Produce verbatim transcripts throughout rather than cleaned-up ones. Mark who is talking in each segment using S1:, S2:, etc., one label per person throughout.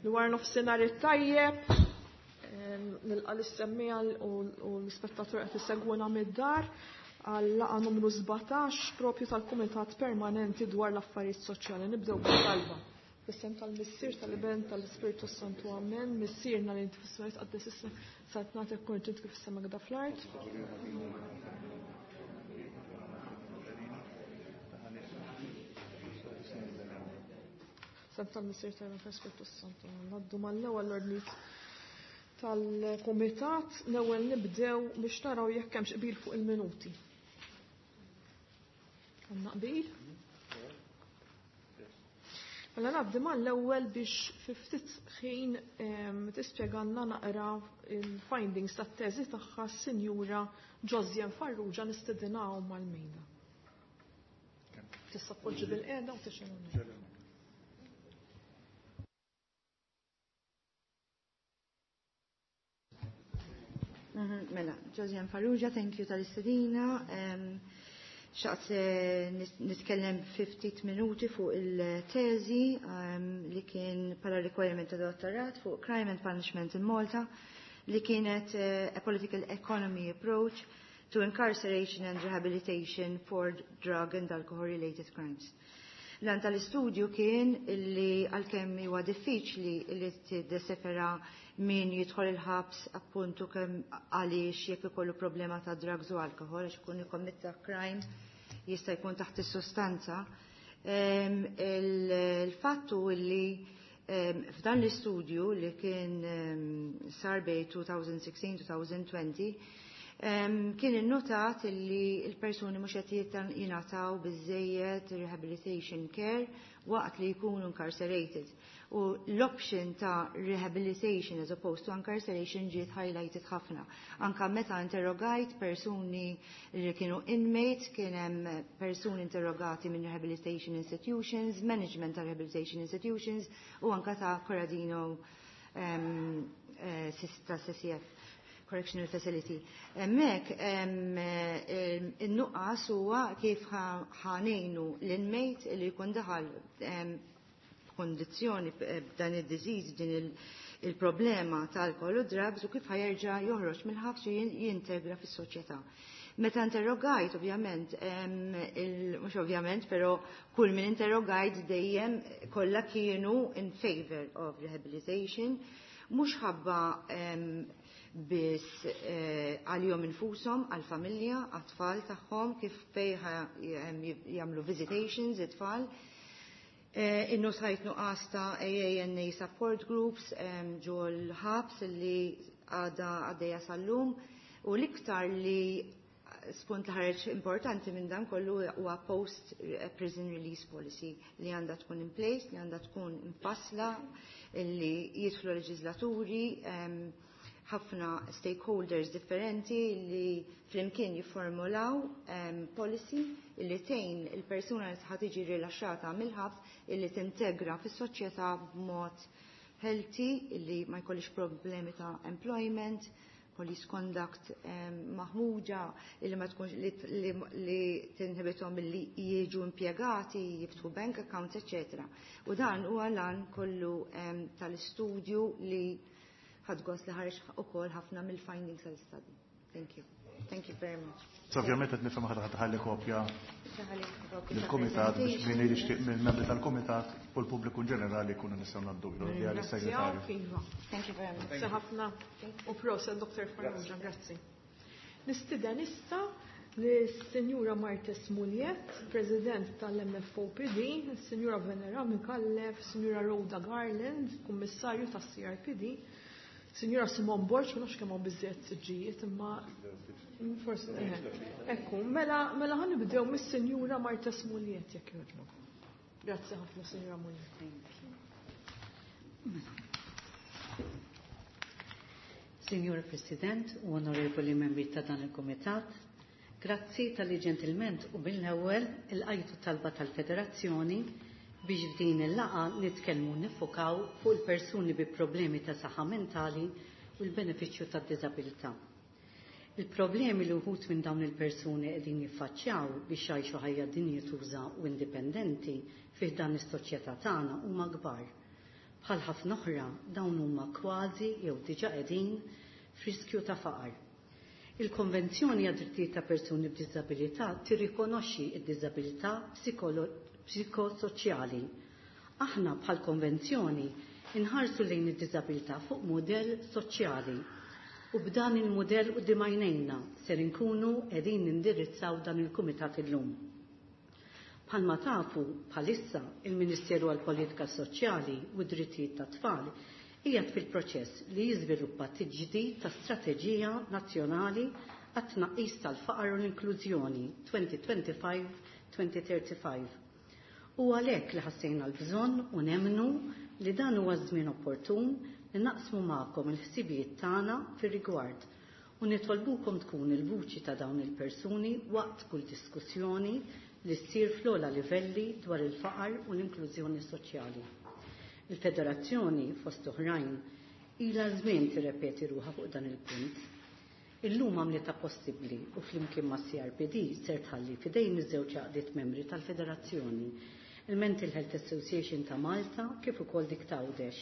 S1: Dwar nofsinhar it-tajjeb, nilqa' lis-semmiegħa u l-ispettatur qed isegwuna mid-dar għal laqgħa numru sbatax propju tal-Kumitat Permanenti dwar l-Affarijiet Soċjali. Nibdew bit-talba. Fis-sem tal-Missier, tal-Iben, tal-Ispirtu Santu, amen. Missierna li inti fis-smajt qaddis ismek, saltnatek kun ġint kif is-sema gda fl-art. Sem tal-Missier, tal-Iben, tal-Ispirtu Santu. Naddu mal-ewwel l-ordni tal-Kumitat, l-ewwel nibdew biex naraw jekk hemmx qbil fuq il-minuti. Għandna qbil? Mela ngħaddi mal-ewwel biex fi ftit ħin tispjegalna naqra il-findings tat-teżi tagħha s-Sinjura Josiane Farrugia, nistedinahom mal-mejda. Tista' tpoġġi bil-qiegħda u tixgħel.
S2: Mela, Josiane Farrugia, thank you tal-istedina. Xtaqt nitkellem ftit minuti fuq il-teżi li kien pala requirement ta' dottorat fuq Crime and Punishment in Malta, li kienet a political economy approach to incarceration and rehabilitation for drug and alcohol related crimes. L-għan tal-istudju kien li għalkemm huwa diffiċli li tiddesefera min jidħol il-ħabs appuntu kemm għaliex jekk ikollu problema ta' drugs u alkohol, għax ikun ikkommetta crime jista' jkun taħt is-sostanza. Il-fattu li f'dan l-istudju li kien sar bej elfejn u sittax-elfejn u għoxrin kien innotat li l-persuni mhux qed jingħataw biżejjed rehabilitation care waqt li jkunu incarcerated. U l-option ta' rehabilitation as opposed to incarceration ġiet highlighted ħafna. Anka meta interrogajt persuni li kienu inmates, kien hemm persuni interrogati minn rehabilitation institutions, management ta' rehabilitation institutions u anka ta' Corradino um, uh, ta' C C F. Correctional Facility. Hemmhekk in-nuqqas huwa kif ħa ngħinu l-inmate li jkun daħal f'kondizzjoni b'dan id-disease, din il-problema tal-alkohol u drugs, u kif ħa jerġa' joħroġ mill-ħabs u jintegra fis-soċjetà. Meta interrogajt, ovvjament, mhux ovvjament, però kull min interrogajt dejjem kollha kienu in favor of rehabilitation, mhux ħabba biss eh, għalihom infushom, għal-familja, għat-tfal tagħhom, kif fejn jagħmlu visitations it-tfal. Eh, Innotajt nuqqas ta' A A N A support groups ġol ħabs li għada għaddejja sal-lum, u l-iktar li spunt li ħareġ importanti minn dan kollu huwa post prison release policy li għandha tkun in place, li għandha tkun imfassla, li jidħlu leġislaturi, ħafna stakeholders differenti li flimkien jiformulaw um, policy li tgħin il-persuna li ħa tiġi rilaxxata mill-ħabs illi tintegra fis-soċjetà b'mod healthy, illi ma jkollix problemi ta' employment, police conduct um, maħmuġa, illi ma tkunx li, li, li tinħibithom li jiġu impjegati, jiftħu bank accounts, eccetera. U dan huwa l-għan kollu um, tal-istudju li ħadt gost li ħareġ ukoll ħafna mill-findings tal-study. Thank you. Thank you very much.
S3: So ovvjament qed nifhem ħadd ħalli kopja lill-kumitat biex min jixtieq mill-membri tal-kumitat u l-pubbliku in ġenerali jkunu nistgħu ngħaddu għal-segretarju.
S2: Thank you very much.
S1: Grazzi ħafna u proset, Doktor Farrugia, grazzi. Nistieden issa lis-Sinjura Marthese Mugliett, President tal-M F O P D, Sinjura Venera Micallef, Sinjura Rhoda Garland, Kummissarju tas-C R P D, Sinjura Simone Borg, ma nafx kemm hawn biżżejjed siġġijiet, imma forsi ekku, mela mela ħa nibdew mis-Sinjura Marthese Mugliett, jekk jogħġbok. Grazzi ħafna, Sinjura Mugliett.
S4: Signor President u onorevoli membri ta' dan il-Komitat, grazzi talli ġentilment u bil-ewwel ilqajtu talba tal-Federazzjoni biex f'din il-laqgħa nitkellmu niffukaw fuq il-persuni bi problemi ta' saħħa mentali u l-benefiċċju tad-diżabilità. Il-problemi li wħud minn dawn il-persuni qegħdin jiffaċċjaw biex jgħixu ħajja dinjituża u indipendenti fih dan is-soċjetà tagħna huma kbar. Bħal ħafna oħra dawn huma kważi jew diġà qegħdin f'riskju ta' faqar. Il-Konvenzjoni għad-Drittijiet ta' Persuni b'Diżabilità tirrikonoxxi d-diżabilità psikosoċjali. Aħna bħal konvenzjoni inħarsu lejn id-diżabilità fuq mudell soċjali u b'dan il-mudell quddiem għajnejna ser inkunu qegħdin nindirizzaw dan il-kumitat illum. Bħalma tafu bħalissa il-Ministeru għall-Politika Soċjali u d-Drittijiet tat-Tfal qiegħed fil-proċess li jiżviluppa tiġdid ta' Strateġija Nazzjonali għat-tnaqqis tal-faqar u l-inklużjoni twenty twenty-five twenty thirty-five. U għalhekk li ħassejna l-bżonn u nemmnu li dan huwa żmien opportun li naqsmu magħkom il-ħsibijiet tagħna fir-rigward u nitolbukom tkun il-vuċi ta' dawn il-persuni waqt kull diskussjoni li ssir fl-ogħla livelli dwar il-faqar u l-inklużjoni soċjali. Il-Federazzjoni, fost oħrajn, ilha żmien tirrepeti ruħha fuq dan il-punt. Illum għamlitha possibbli u flimkien ma' C R P D ser tħalli f'idejn iż-żewġ għaqdiet membri tal-Federazzjoni, il-Mental Health Association ta' Malta kif ukoll dik ta' Għawdex,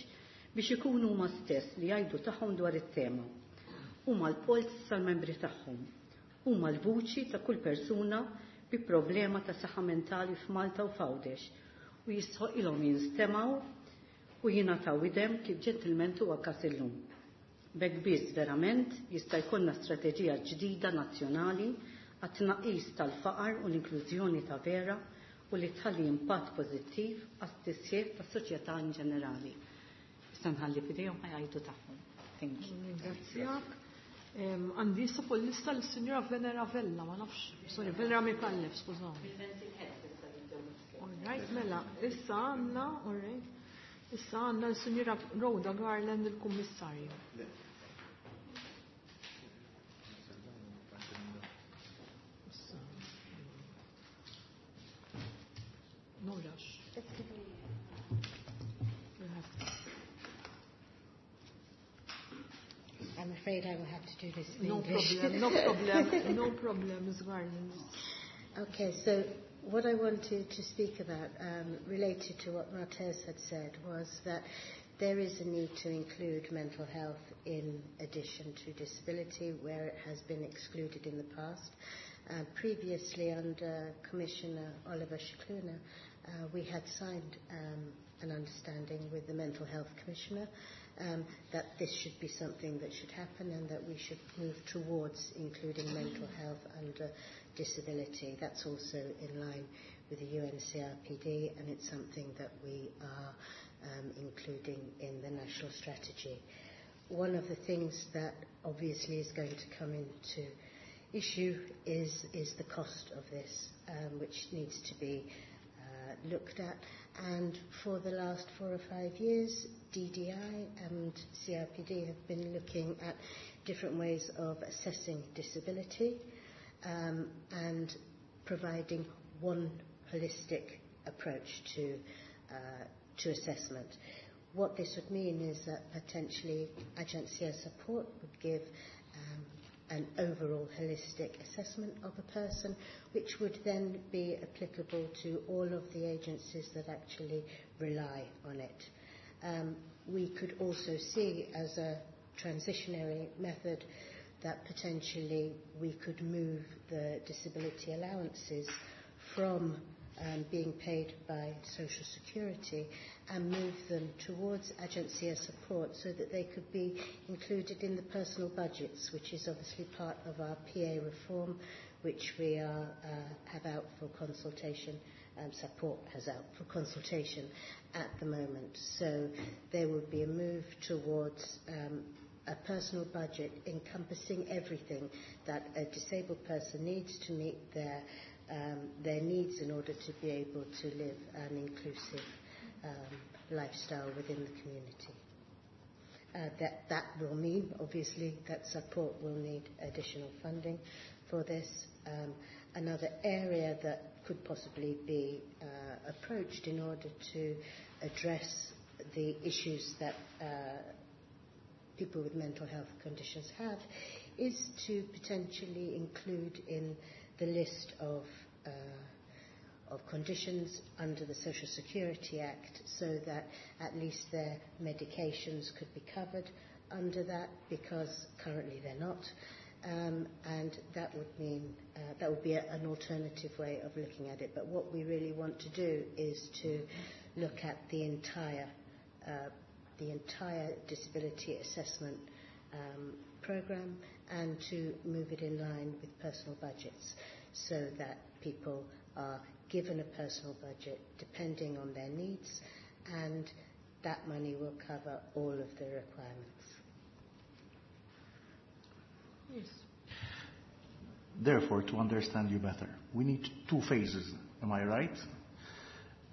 S4: biex ikunu huma stess li jgħidu tagħhom dwar it-tema. Huma l-polz tal-membri tagħhom. Huma l-vuċi ta' kull persuna bi problema ta' saħħa mentali f'Malta u f'Għawdex u jistħoqilhom jinstemgħu u jingħataw idem kif ġentilment huwa każ illum. B'hekk biss verament jista' jkollna strateġija ġdida nazzjonali għat-tnaqqis tal-faqar u l-inklużjoni ta' vera u li tħalli impatt pożittiv għat-tisħiħ tas-soċjetà in ġenerali. Issa nħalli f'idejhom ħa jgħidu tagħhom. Thank you.
S1: Ringrazzjak. Għandi issa fuq l-lista l-Sinjora Venera Vella, ma nafx, sorry, Venera Micallef, skużawni. All right, mela, issa għandna, all right, issa għandna l-Sinjora Rhoda Garland, il-Kummissarju. Issa. No rush. You have to.
S5: I'm afraid I will have to do this in
S1: No
S5: English.
S1: Problem, no problem, no problem, Miz Garland.
S5: Okay, so what I wanted to speak about, um, related to what Martez had said, was that there is a need to include mental health in addition to disability where it has been excluded in the past. Uh, previously, under Commissioner Oliver Scicluna, uh, we had signed um, an understanding with the Mental Health Commissioner um, that this should be something that should happen and that we should move towards including mental health under disability. That's also in line with the U N C R P D, and it's something that we are um, including in the national strategy. One of the things that obviously is going to come into issue is, is the cost of this, um, which needs to be uh, looked at. And for the last four or five years, D D I and C R P D have been looking at different ways of assessing disability um, and providing one holistic approach to, uh, to assessment. What this would mean is that potentially Aġenzija Sapport would give um, an overall holistic assessment of a person, which would then be applicable to all of the agencies that actually rely on it. Um, we could also see as a transitionary method that potentially we could move the disability allowances from um, being paid by Social Security and move them towards Aġenzija Sapport so that they could be included in the personal budgets, which is obviously part of our P A reform, which we are, uh, have out for consultation, um, Sapport has out for consultation at the moment. So there would be a move towards um, a personal budget encompassing everything that a disabled person needs to meet their um, their needs in order to be able to live an inclusive um, lifestyle within the community. Uh, that, that will mean, obviously, that Sapport will need additional funding for this. Um, another area that could possibly be uh, approached in order to address the issues that uh, people with mental health conditions have is to potentially include in the list of, uh, of conditions under the Social Security Act so that at least their medications could be covered under that, because currently they're not. Um, and that would mean, uh, that would be a, an alternative way of looking at it. But what we really want to do is to look at the entire, uh, the entire disability assessment um, program and to move it in line with personal budgets so that people are given a personal budget depending on their needs, and that money will cover all of the requirements.
S1: Yes.
S3: Therefore, to understand you better, we need two phases, am I right?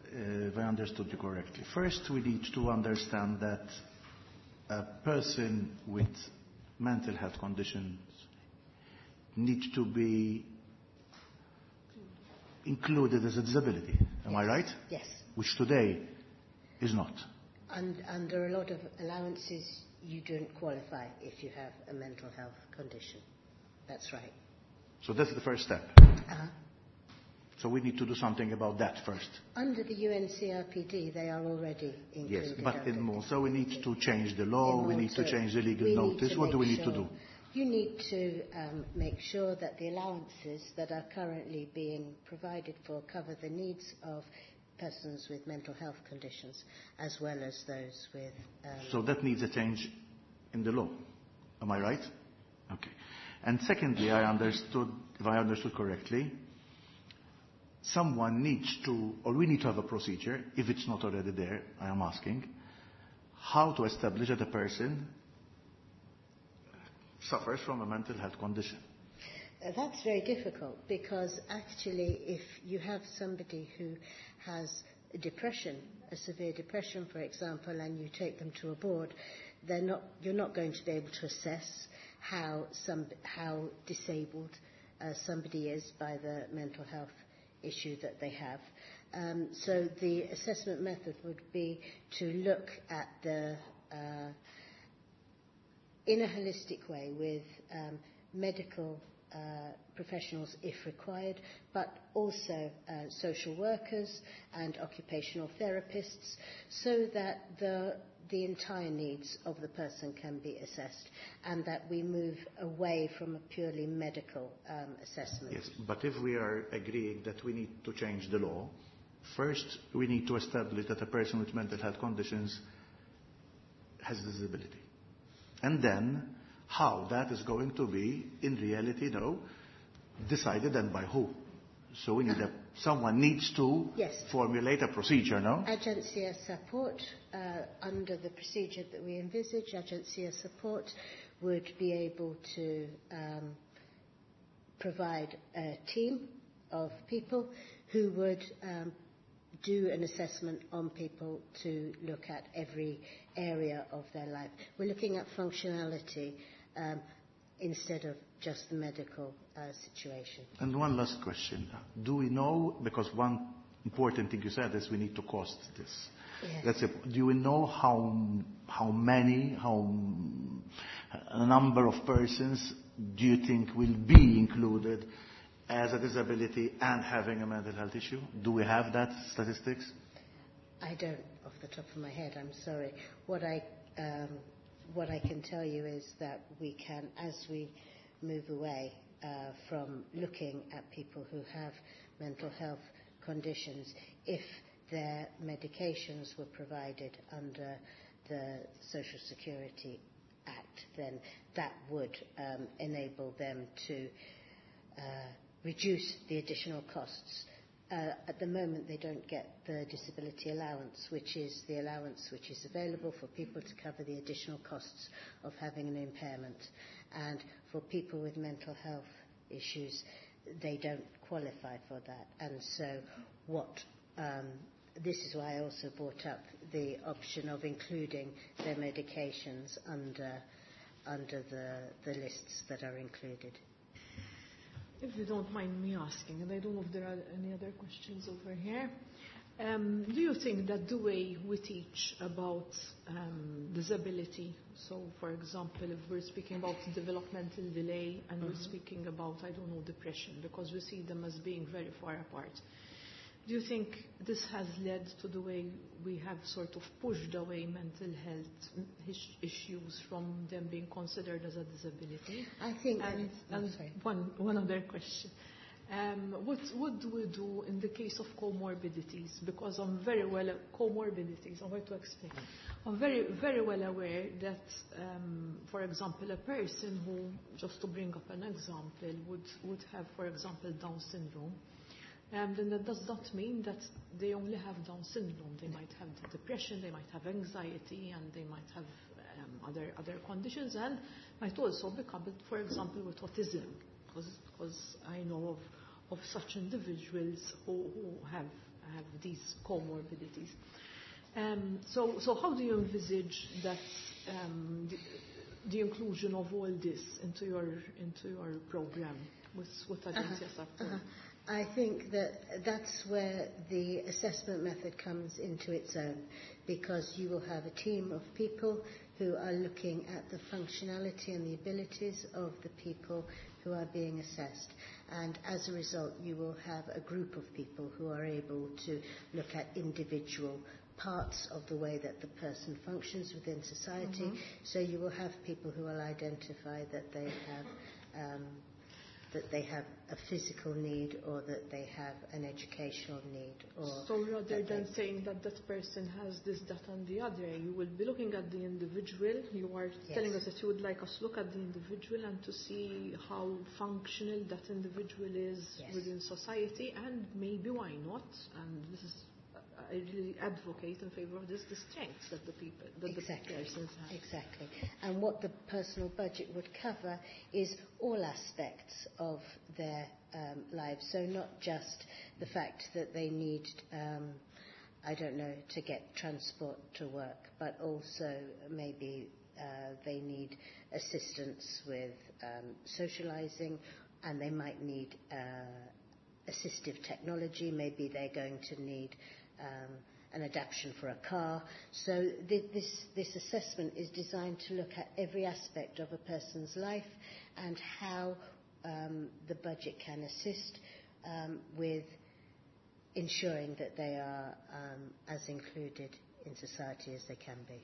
S3: Uh, if I understood you correctly. First, we need to understand that a person with mental health conditions need to be included as a disability. Am
S5: yes.
S3: I right?
S5: Yes.
S3: Which today is not.
S5: And under a lot of allowances, you don't qualify if you have a mental health condition. That's right.
S3: So that's the first step.
S5: Uh-huh.
S3: So we need to do something about that first.
S5: Under the U N C R P D, they are already included.
S3: Yes, but in Malta we need to change the law,
S5: in
S3: we need to
S5: Malta,
S3: change the legal
S5: we need
S3: notice.
S5: to
S3: What do
S5: make
S3: we need to
S5: sure
S3: do?
S5: You need to um, make sure that the allowances that are currently being provided for cover the needs of persons with mental health conditions as well as those with... Um,
S3: so that needs a change in the law, am I right? Okay. And secondly, I understood, if I understood correctly, someone needs to, or we need to have a procedure, if it's not already there, I am asking, how to establish that a person suffers from a mental health condition.
S5: Uh, that's very difficult, because actually if you have somebody who has depression, a severe depression, for example, and you take them to a board, they're not, you're not going to be able to assess how, some, how disabled, uh, somebody is by the mental health issue that they have. Um, so the assessment method would be to look at the, uh, in a holistic way with, um, medical, uh, professionals if required, but also, uh, social workers and occupational therapists, so that the, the entire needs of the person can be assessed, and that we move away from a purely medical, um, assessment.
S3: Yes, but if we are agreeing that we need to change the law, first we need to establish that a person with mental health conditions has a disability. And then, how that is going to be, in reality, though, decided and by who. So we need a, someone needs to
S5: yes.
S3: formulate a procedure, no?
S5: Agencia Sapport, uh, under the procedure that we envisage, Agencia Sapport would be able to, um, provide a team of people who would, um, do an assessment on people to look at every area of their life. We're looking at functionality, um, instead of just the medical, uh, situation.
S3: And one last question. Do we know, because one important thing you said is we need to cost this.
S5: Yes.
S3: That's it. Do we know how, how many, how a number of persons do you think will be included as a disability and having a mental health issue? Do we have that statistics?
S5: I don't, off the top of my head, I'm sorry. What I, um, what I can tell you is that we can, as we move away, uh, from looking at people who have mental health conditions, if their medications were provided under the Social Security Act, then that would, um, enable them to, uh, reduce the additional costs. Uh, at the moment, they don't get the disability allowance, which is the allowance which is available for people to cover the additional costs of having an impairment. And for people with mental health issues, they don't qualify for that. And so what, um, this is why I also brought up the option of including their medications under, under the, the lists that are included.
S1: If you don't mind me asking, and I don't know if there are any other questions over here, um, do you think that the way we teach about, um, disability, so for example, if we're speaking about developmental delay and we're
S5: Mm-hmm.
S1: speaking about, I don't know, depression, because we see them as being very far apart, Do you think this has led to the way we have sort of pushed away mental health issues from them being considered as a disability?
S5: I think...
S1: And, and one, one other question. Um, what, what do we do in the case of comorbidities? Because I'm very well, comorbidities, I'm going to explain. I'm very, very well aware that, um, for example, a person who, just to bring up an example, would, would have, for example, Down syndrome, um, then that does not mean that they only have Down syndrome. They might have depression, they might have anxiety, and they might have um, other, other conditions, and might also be coupled, for example, with autism, because I know of of such individuals who, who have, have these comorbidities. Um, so, so how do you envisage that um, the, the inclusion of all this into your, into your program with, with Agencia
S5: uh-huh,
S1: Support?
S5: Uh-huh. I think that that's where the assessment method comes into its own, because you will have a team of people who are looking at the functionality and the abilities of the people who are being assessed. And as a result, you will have a group of people who are able to look at individual parts of the way that the person functions within society.
S1: Mm-hmm.
S5: So you will have people who will identify that they have um, that they have a physical need, or that they have an educational need. Or
S1: so rather than
S5: they
S1: saying that that person has this, that and the other, you will be looking at the individual. You are
S5: yes.
S1: telling us that you would like us to look at the individual and to see how functional that individual is
S5: yes.
S1: within society, and maybe why not, and this is, I really advocate in favor of this, the strengths that the people, that
S5: exactly.
S1: the persons have.
S5: Exactly. And what the personal budget would cover is all aspects of their um, lives. So not just the fact that they need, um, I don't know, to get transport to work, but also maybe uh, they need assistance with um, socializing, and they might need uh, assistive technology. Maybe they're going to need Um, an adaptation for a car. So th- this, this assessment is designed to look at every aspect of a person's life and how um, the budget can assist um, with ensuring that they are um, as included in society as they can be.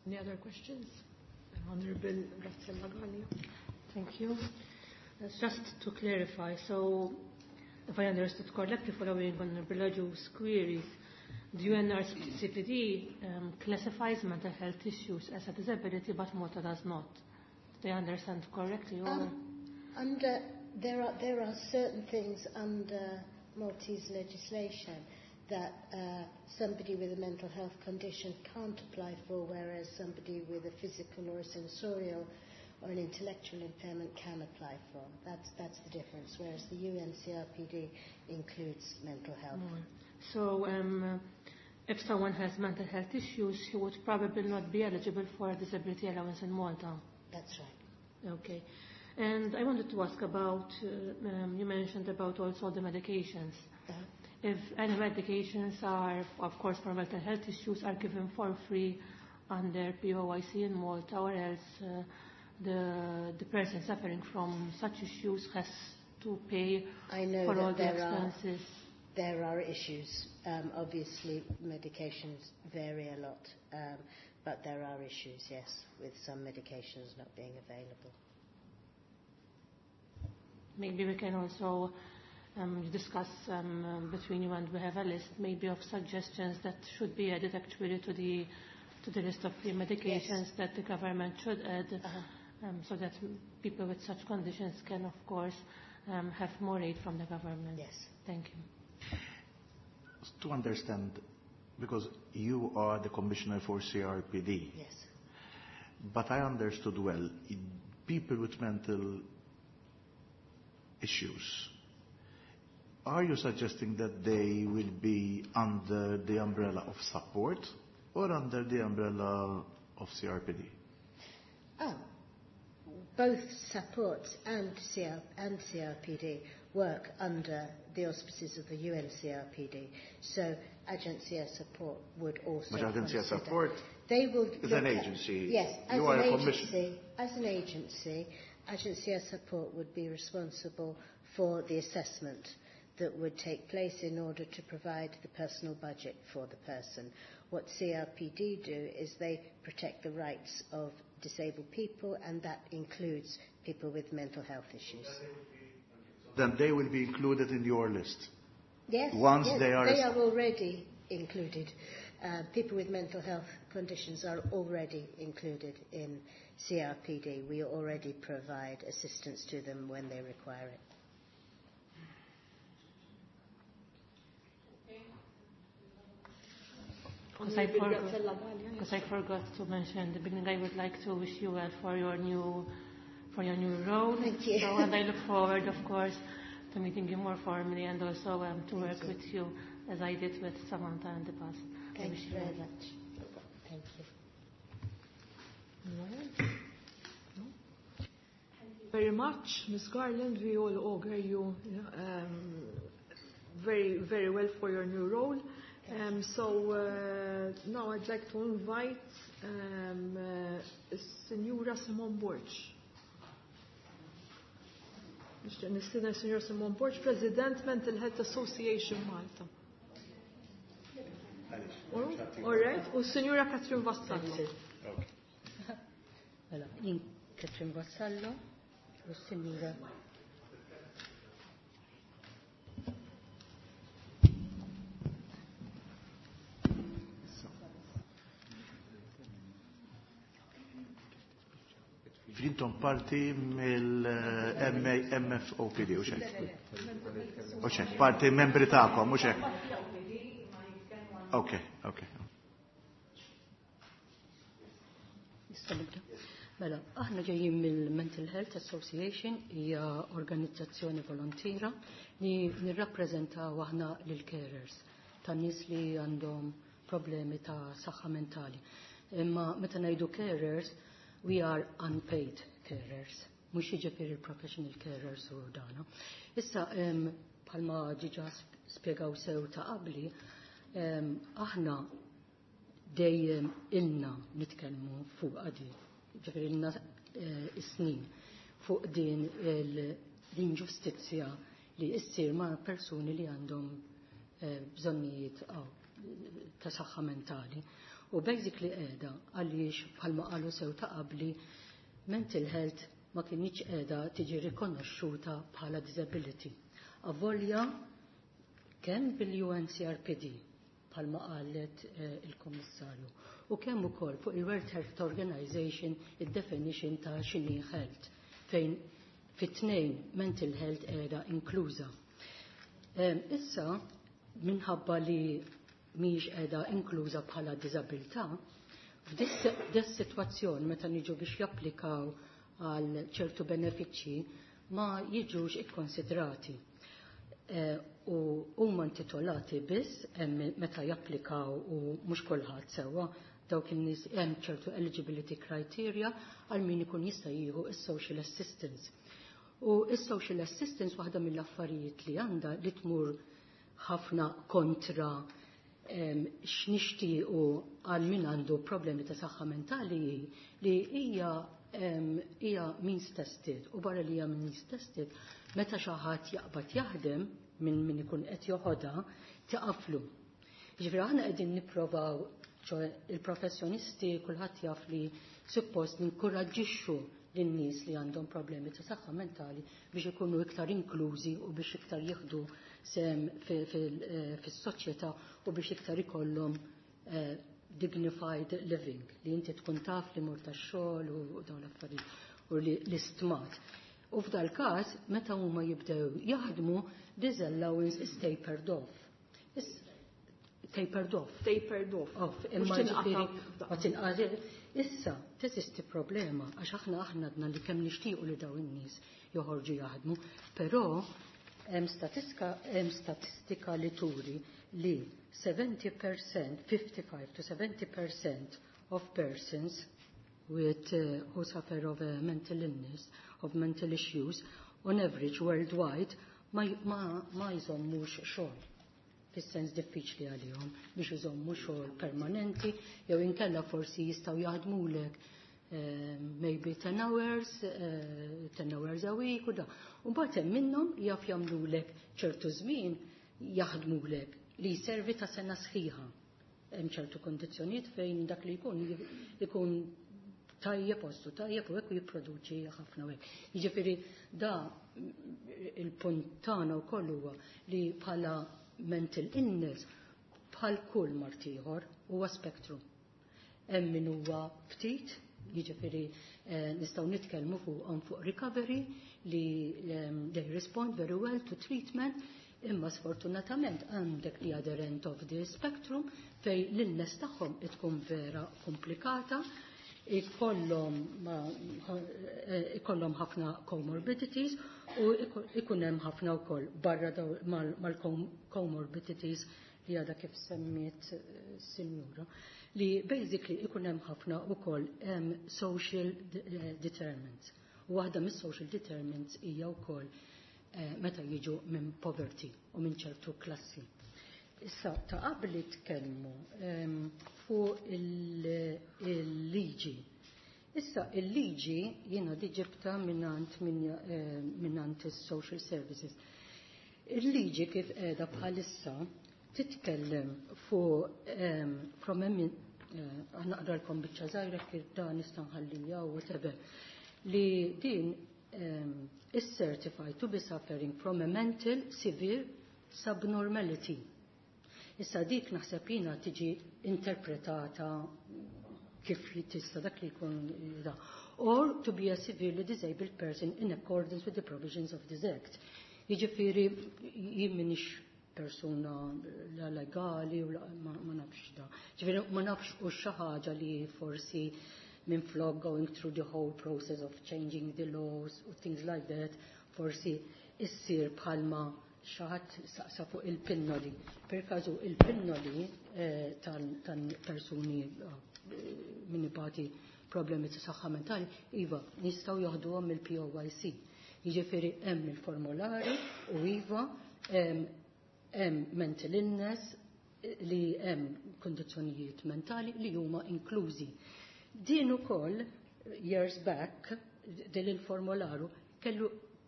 S1: Any other questions? Honourable Graziella Gallia.
S6: Thank you. Just to clarify, so if I understood correctly, following Honourable Agius' queries, the U N R C P D um, classifies mental health issues as a disability, but Malta does not. Do I understand correctly? Or?
S5: Um, under, there are, there are certain things under Maltese legislation that uh, somebody with a mental health condition can't apply for, whereas somebody with a physical or a sensorial or an intellectual impairment can apply for. That's, that's the difference, whereas the U N C R P D includes mental health.
S6: Mm. So um, if someone has mental health issues, he would probably not be eligible for a disability allowance in Malta.
S5: That's right.
S6: Okay. And I wanted to ask about, uh, um, you mentioned about also the medications.
S5: Uh-huh.
S6: If any medications are, of course, for mental health issues, are given for free under P O I C in Malta, or else uh, the, the person suffering from such issues has to pay
S5: I know
S6: for
S5: that
S6: all the
S5: there are
S6: expenses.
S5: There are issues. Um, obviously, medications vary a lot, um, but there are issues, yes, with some medications not being available.
S6: Maybe we can also um, discuss um, between you and we have a list maybe of suggestions that should be added actually to the to the list of free medications
S5: yes.
S6: that the government should add,
S5: uh-huh.
S6: um, so that people with such conditions can, of course, um, have more aid from the government.
S5: Yes.
S6: Thank you.
S3: To understand, because you are the commissioner for C R P D.
S5: Yes.
S3: But I understood well, people with mental issues, are you suggesting that they will be under the umbrella of support or under the umbrella of C R P D?
S5: Oh, both support and C R, and C R P D work under the auspices of the U N C R P D. So Agencia Support would also
S3: But Agencia
S5: consider.
S3: Support
S5: they will
S3: is an agency.
S5: At, yes, as
S3: you are
S5: an
S3: a
S5: agency, as an agency, Agencia Support would be responsible for the assessment that would take place in order to provide the personal budget for the person. What C R P D do is they protect the rights of disabled people, and that includes people with mental health issues.
S3: Then they will be included in your list?
S5: Yes.
S3: Once
S5: yes,
S3: they are...
S5: They are already included. Uh, people with mental health conditions are already included in C R P D. We already provide assistance to them when they require it.
S6: Because I forgot, because I forgot to mention in the beginning, I would like to wish you well for your new, for your new role.
S5: Thank you.
S6: So, and I look forward, of course, to meeting you more formally and also um, to work
S5: you.
S6: with you as I did with Samantha in the past.
S5: Thank
S6: I wish
S5: you very
S6: well.
S5: much. Thank you.
S1: Thank you very much, Miz Garland. We all augur you um, very, very well for your new role. Um, so uh, now I'd like to invite um, uh, Signora Simone Borg. Nistieden Signora Simone Borg, President Mental Health Association Malta. All right, u Signora Catherine Vassallo.
S3: Okay.
S4: Mela, jien Catherine Vassallo u Signora
S3: Jintom parti mill-M F O P D, u xek? U xek, parti membri ta'kom, u xek? Ok, ok.
S4: Mela, aħna ġejjin mill-Mental Health Association, hija organizzazzjoni volontira li nirrappreżentaw aħna lil-carers ta' nies li għandhom problemi ta' saħħa mentali. Imma meta ngħidu carers, we are unpaid carers, mhux jiġifieri professional carers u dana. Issa, bħalma ġiġa spjegaw sew ta' qabli, aħna dejjem ilna nitkellmu fuq għadi, ġifieri ilna is-snin fuq din l-inġustizzja li issir ma' persuni li għandhom bżonnijiet ta' saħħa mentali. U basically qiegħda għaliex bħalma qalu sew ta' qabli mental health ma kienx qiegħda tiġi rikonoxxuta bħala disability. Avolja kemm bil-U N C R P D bħalma qalet il-Kummissarju u kemm ukoll fuq il-World Health Organization id-definition ta' x'inhi health fejn fit-tnejn mental health qiegħda inkluża. Issa minħabba li mhijiex qiegħda inkluża bħala diżabilità, f'dis sitwazzjoni meta niġu biex japplikaw għal ċertu benefiċċji ma jiġux ikkonsidrati. U huma intitolati biss hemm meta japplikaw u mhux kulħadd sewwa dawk in-nies hemm ċertu eligibility criteria għal min ikun jista' jieħu is-social assistance. U is-social assistance waħda mill-affarijiet li għandha li tmur ħafna kontra x'nixtiequ għal min għandu problemi ta' saħħa mentali li hija hija means tested u barra li hija means tested meta xi ħadd jaqbad jaħdem minn min ikun qed joħodha tiqaflu. Jiġifieri aħna qegħdin nipprovaw, ċoe il-professjonisti kulħadd jaf li suppost ninkoraġġixxu lin-nies li għandhom problemi ta' saħħa mentali biex ikunu iktar inklużi u biex iktar jieħdu sehem fis-soċjetà u biex iktar ikollhom dignified living, li inti tkun taf li mur tax-xogħol u dawn l-affarijiet u li l-istmat. U f'dal każ meta huma jibdew jaħdmu, this allowance is tapered off. Is tapered off.
S1: Tapered off.
S4: Off. Imma
S1: Mhux tinqata'
S4: ġifieri ma tinqata'. Issa teżisti problema għax aħna aħna għadna li kemm nixtiequ li dawn in-nies joħorġu jaħdmu, però hemm statistika, hemm statistika li turi li seventy percent, fifty-five to seventy percent of persons with, uh, who suffer of a mental illness, of mental issues, on average worldwide, ma, ma, ma jżommux xogħol. Fis-sens diffiċli għalihom biex iżommu xogħol permanenti, jew inkella forsi jistgħu jaħdmulek maybe ten hours, uh, ten hours a week u da. U mbagħad hemm minnhom jaf jagħmlulek ċertu żmien jaħdmulek li jservi ta' sena sħiħa. Hemm ċertu kondizzjonijiet fejn dak li jkun ikun tajjeb postu tajjeb u hekk u jipproduċi ħafna hekk. Jiġifieri da il-punt tagħna wkoll huwa li bħala mental illness bħal kull mard ieħor huwa spektrum. Hemm min huwa ftit, jiġifieri eh, nistgħu nitkellmu fuqhom fuq recovery li um, they respond very well to treatment, imma sfortunatament għandek the other end of the spectrum fej l-illness tagħhom tkun vera komplikata, ikollhom ikollhom ħafna comorbidities u ikun hemm ħafna wkoll barra mal-comorbidities li għadha kif semmiet sinjura, li basically ikun hemm ħafna wkoll social determinants. U waħda mis-social determinants hija wkoll meta jiġu minn poverty u minn ċertu klassi. Issa, ta' qabli tkellmu fuq il-liġi. Issa, il-liġi jiena diġibta minnant minnant is-social services. Il-liġi kif qiegħda bħalissa titkellem fuq from naqralkom biċċa żgħira kif dan nista' nħallija u whatever, li din is certified to be suffering from a mental severe subnormality. Issa dik naħseb jiena tiġi interpretata kif tista' dak li jkun da. Or to be a severely disabled person in accordance with the provisions of this act. Jiġifieri jien m'iniex persuna la legali u la, ma, ma nafx da. Ġifieri ma nafx u xi ħaġa li forsi minn flok going through the whole process of changing the laws u things like that, forsi issir bħalma xi ħadd saqsa fuq il-pinnoli. Per każu il-pinnoli eh, tal-persuni eh, min ibati problemi ta' saħħa mentali, iva, nistgħu joħduhom mill-P O Y C. Jiġifieri hemm il-formulari u iva hemm mental illness li hemm kondizzjonijiet mentali li huma inklużi. Din ukoll years back din il-formularu kellu,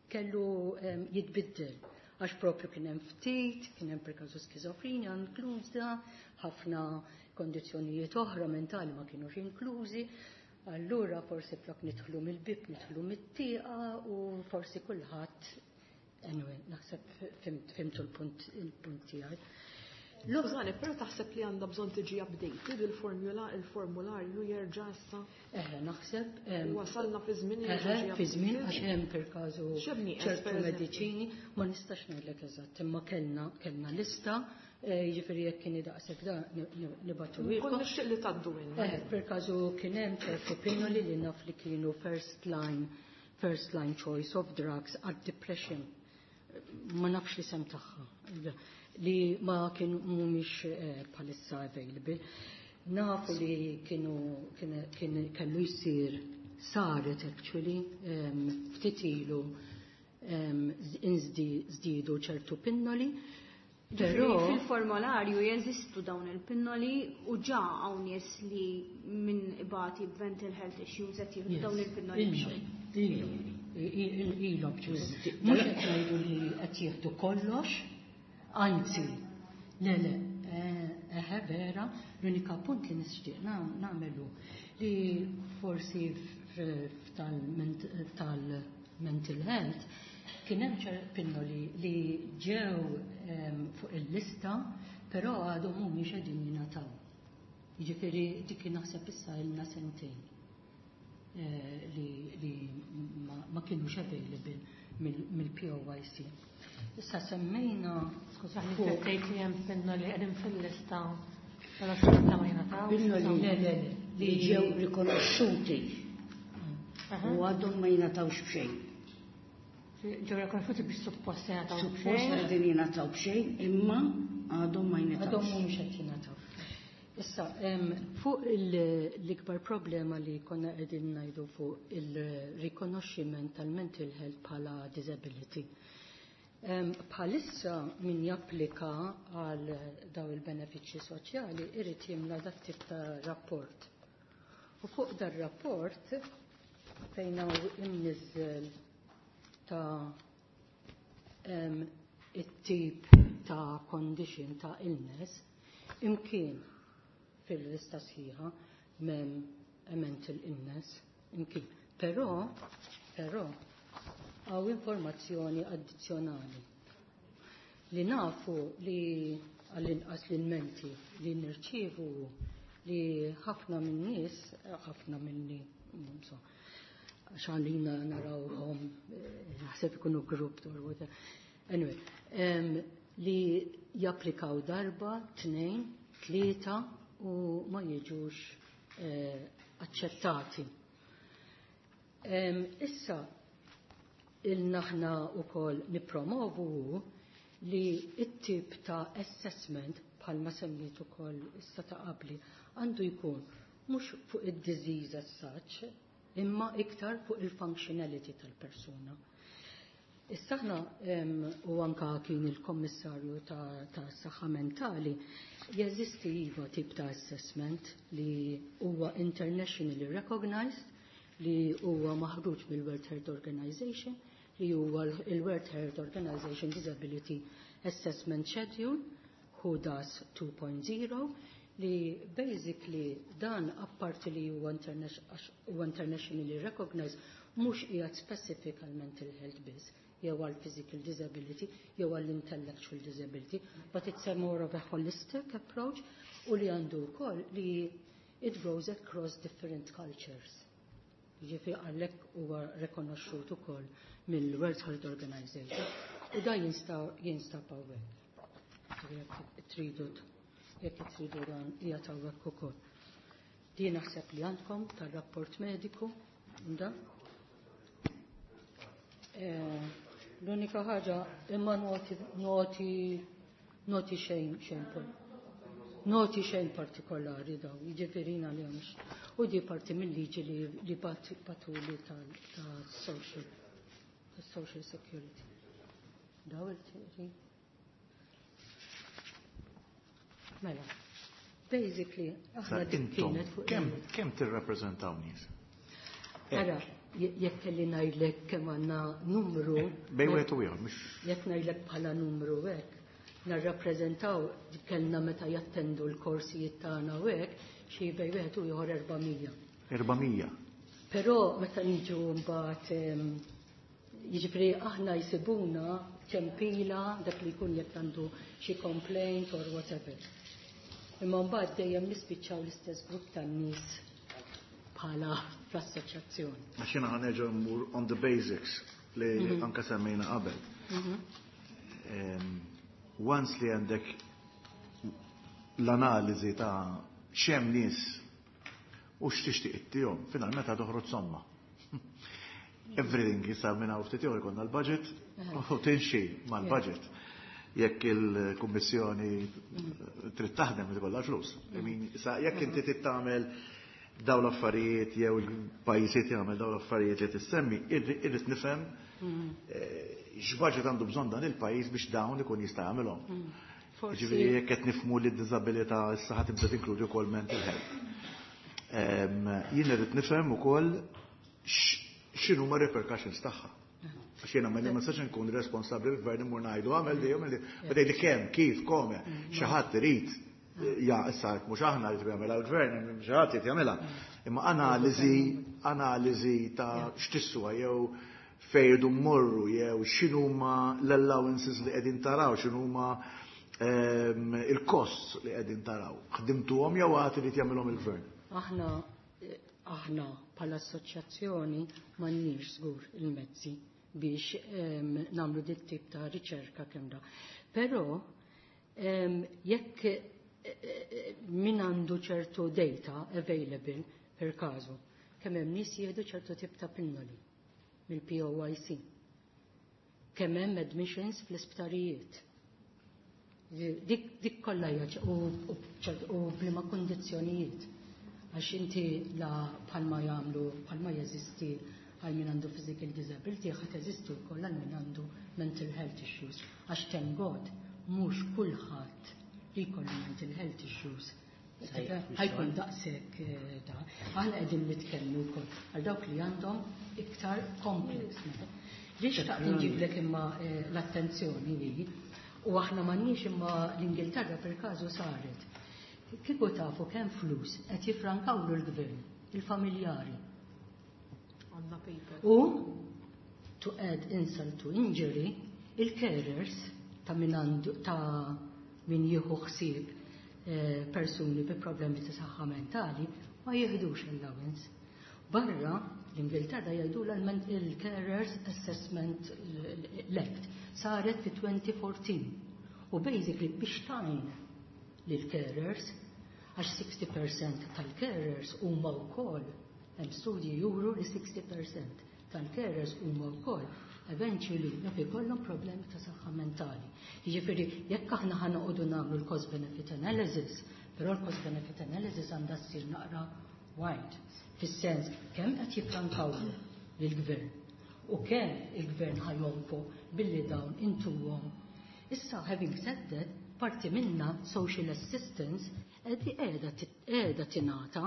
S4: kellu um, jitbiddel għax propju kien hemm ftit, kien hemm per każu skizofrenja inkluża, ħafna kondizzjonijiet oħra mentali ma kienux inklużi. Allura forsi flok nidħlu mill-bib, nidħlu mit-tieqa u forsi kulħadd. Anyway, naħseb fimtu l-punt il-punt tiegħi.
S1: Skużani, però taħseb li għandha bżonn tiġi updated il-formula, il-formularju jerġa' issa?
S4: Eħe, naħseb,
S1: Wasalna fi żmien
S4: eħe,
S1: jerġa' ġi
S4: fi żmien,
S1: updated?
S4: għax hemm per każu
S1: X'hemm nieqes,
S4: ċertu
S1: per eżempju?
S4: mediċini, ma nistax ngħidlek eżatt, imma kellna, kellna lista, eh, jiġifieri jekk kien daqshekk da nibgħatu
S1: Kont
S4: ilkom.
S1: nixtieq li tgħaddu minna.
S4: Eħe, per każu kien hemm ċertu pinnoli li naf li kienu first line, first line choice of drugs għad depression. Ma nafx li sem tagħha. Li ma kienu mhumiex, eh, bħalissa available. Nafu li kienu, kien, kien, kellu jsir, saret actually, em, ftit ilu, em, inżdiedu ċertu pinnoli.
S7: Però
S4: Però
S7: fil-formularju jeżistu dawn il-pinnoli u ġa hawn nies li minn ibati b'mental health issues qed jieħdu dawn il-pinnoli b'xejn.
S4: Ilhom, ilhom b'xejn. Mhux qed ngħidu li qed jieħdu kollox, anzi, le, le, eh, eħe vera, l-unika punt li nixtieq nagħmelu li forsi tal-mental health kien hemm ċerti pinnoli li ġew, ehm, fuq il-lista, però għadhom mhumiex qegħdin jingħataw. Jiġifieri dik naħseb issa ilna sentejn, eh, li, li ma, ma kienux available mill-P O Y C. Issa semmejna
S6: Skużani,
S4: fuq
S6: tgħid li hemm pinnoli qegħdin fil-lista, però xorta ma jingħatawx.
S8: Pinnoli
S4: Le, le, le,
S8: li ġew rikonoxxuti
S6: Aha.
S8: u għadhom ma jingħatawx b'xejn.
S6: Ġew rikonoxxuti biex suppost jingħataw
S8: Suppost
S6: b'xejn.
S8: qegħdin jingħataw b'xejn, imma għadhom ma jingħatawx.
S4: Għadhom mhumiex qed jingħataw. Issa, em, fuq il-, l-ikbar problema li konna qegħdin ngħidu fuq il-rikonoxximent tal-mental health bħala disability. Em, bħalissa min japplika għal daw il-benefiċċji soċjali irid jimla dak tip ta' rapport. U fuq dar-rapport fejn hawn imniżżel ta' it-tip ta' condition ta' illness, imkien fil-lista sħiħa m'hemm mental illness, imkien. Però, però, hawn informazzjoni addizzjonali li nafu li għall-inqas l-menti li nirċievu li ħafna minn nies, ħafna minni, so, għax narawhom, naħseb ikunu grupp or whatever. Anyway, um, li japplikaw darba, tnejn, tlieta u ma jiġux eh, aċċettati. Um, issa, il-naħna u koll nipromovu li it-tip ta' assessment bħalma semmiet ukoll issa ta' qabli għandu jkun mhux fuq id-disease as such, imma iktar fuq il-functionality tal-persuna. Issa aħna u anka kien il-kommissarju ta', ta saħħa mentali jeżisti iva tip ta' assessment li huwa internationally recognized, li huwa maħruġ mill-World Health Organization, li huwa il-World Health Organization Disability Assessment Schedule, WHODAS two point zero, li basically dan, apparti li huwa internationally recognized, mhux qiegħed specific għal mental health biss jew għal physical disability jew għal intellectual disability, but it's a more of a holistic approach u li għandu wkoll li it goes across different cultures. Ġifi għalhekk huwa rekonoxxut ukoll mill-World Health Organization u da jinstab hawnhekk. Jekk tridu jekk tridu dan qiegħed hawnhekk ukoll. Din naħseb li għandkom tar-rapport mediku da. Eh, l-unika ħaġa imma noti noti noti xejn xejn noti xejn partikolari daw, jiġifieri li għamx. U di parti mill-liġi li, li bagħtuli ta' social social security. Daw il-tiri. Mela, basically, aħna dik kienet fuq.
S3: Kemm kemm tirrappreżentaw nies?
S4: Ara, jekk kelli ngħidlek kemm għandna numru.
S3: Eh, bejn wieħed u ieħor, mhux.
S4: Jekk ngħidlek bħala numru hekk, narrappreżentaw, kellna meta jattendu l-korsijiet tagħna u hekk, xi bejn wieħed u ieħor erba' mija.
S3: erba' mija.
S4: Però meta niġu mbagħad, jiġifieri aħna jsibuna ċempila dak li jkun jekk għandu xi complaint or whatever. Imma mbagħad dejjem nispiċċaw l-istess grupp tan-nies bħala fl-assoċjazzjoni.
S3: Għax jiena ħa nerġa' mmur on the basics li mm -hmm. anka semmejna qabel. Mm -hmm. um, once li għandek l-analiżi ta' x'hemm nies u x'tixtieq ittihom, finalment toħroġ somma. Everything jisar minn hawn ftit ikollna l-budget u timxi mal-budget. Jekk il-Kummissjoni trid taħdem, ikollha flus. Jekk inti trid tagħmel daw l-affarijiet jew il-pajjiżiet jagħmel daw l-affarijiet li tissemmi, irrid nifhem eh, x'budget għandu bżonn dan il-pajjiż biex dawn ikun jista' jagħmilhom. Ġifieri jekk qed nifhmu li d-diżabilità issa ħa tibda tinkludi wkoll mental health. Jien irrid nifhem ukoll x'inhuma repercussions tagħha. Għax jiena ma nistax nkun responsabbli l-gvern immur ngħidu għamel di, għamel di, ma tgħidli kemm, kif, kome, xi ħadd irid ja, issa mhux aħna li jagħmilha l-gvern, xi ħadd irid jagħmilha. Imma analiżi, analiżi ta' x'tiswa jew fejn mmorru jew x'inhuma l-allowances li qegħdin taraw, x'inhuma ehm, il-costs li qegħdin taraw. Ħdimtuhom jew għad irid jagħmilhom il-gvern?
S4: Aħna aħna bħala assoċjazzjoni m'għandniex żgur il-mezzi biex um, nagħmlu dit tip ta' riċerka kemm da. Però um, jekk eh, eh, min għandu ċertu data available, per każu, kemm hemm nies jieħdu ċertu tip ta' pinnoli mill-P O I C. Kemm hemm admissions fl-isptarijiet. Dik, dik kollha hija u, u, u b'liema kondizzjonijiet. Għax inti la bħalma jagħmlu, bħalma jeżisti għal min għandu physical disability, ħa teżisti wkoll għal min għandu mental health issues. Għax thank God, mhux kulħadd li jkollu mental health issues Ħa jkun daqshekk eh, da. Aħna qegħdin nitkellmu wkoll għal dawk li għandhom iktar complex. Li xtaqt nġiblek imma eh, l-attenzjoni hi, u aħna m'għandniex imma l-Ingilterra per każu saret. Kieku tafu kemm flus qed jifrankawlu l-gvern, il-familjari.
S1: Għandna paper.
S4: U to add insult to injury, il-carers ta' min għandu ta' min jieħu ħsieb eh, persuni bi problemi ta' saħħa mentali ma jieħdux allowance. Barra l-Ingilterra jgħidu il-Carers Assessment Act saret fi elfejn u erbatax u basically biex tgħin lil-carers, għax sittin fil-mija tal-carers huma wkoll, hemm studji juru li sittin fil-mija tal-carers huma wkoll eventually jaf ikollhom problemi ta' saħħa mentali. Jiġifieri jekk aħna ħa noqogħdu nagħmlu l-cost benefit analysis, però l-cost benefit analysis għandha ssir naqra wide. Fis-sens kemm qed jifrankawlu lill-gvern u kemm il-gvern ħa jonfoq billi dawn intuhom. Issa, having said that, parti minna social assistance qed qiegħda qiegħda tingħata.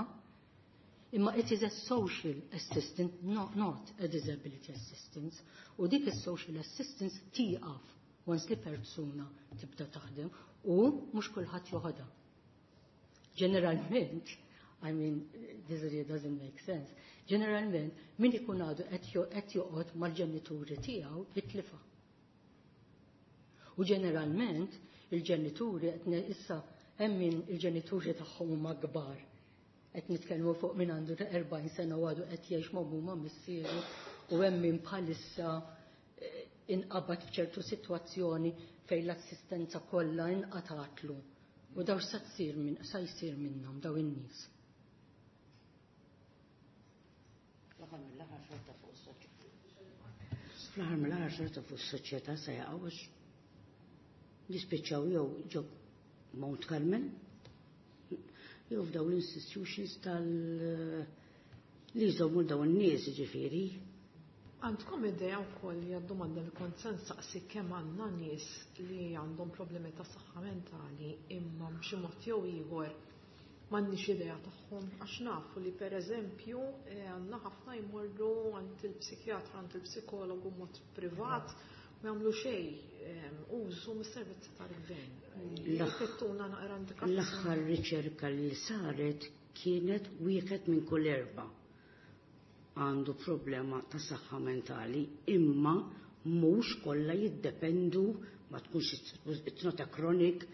S4: Imma it is a social assistance, not, not a disability assistance. U dik is-social assistance tieqaf once li persuna tibda taħdem u mhux kulħadd joħodha. Ġeneralment, I mean, this really doesn't make sense. Ġeneralment, min ikun għadu qed joqgħod mal-ġenituri tiegħu jitlifha. U ġeneralment, il-ġenituri qed issa hemm min il-ġenituri tagħhom huma kbar. Qed nitkellmu fuq min għandu erbgħin sena u għadu qed jgħix ma' ma' missieru u hemm min bħalissa eh, inqabad f'ċertu sitwazzjoni fejn l-assistenza kollha inqatatlu. U daw sa tsir min sa jsir minnhom daw in-nies?
S8: Fl-aħħar mill-aħħar xorta fuq is-soċjetà. Fl-aħħar mill-aħħar xorta fuq is-soċjetà se jaqgħu għax jispiċċaw jew ġo Mount Carmel jew f'daw l-institutions tal li jżommu dawn in-nies ġifieri.
S1: Għandkom idea wkoll li domanda li kont se nsaqsi, kemm għandna nies li għandhom problemi ta' saħħa mentali imma b'xi mod jew ieħor m'għandniex idea tagħhom, għax nafu li pereżempju eh, għandna ħafna jmorru għand il-psikjatra, għand il-psikologu mod privat, ma jagħmlu xejn eh, użu mis-servizzi tal-gvern. Tagħtuna naqra indikazzjoni.
S8: L-aħħar riċerka li saret kienet wieħed minn kull erba' għandu problema ta' saħħa mentali, imma mhux kollha jiddependu, ma tkunx, it's not a chronic,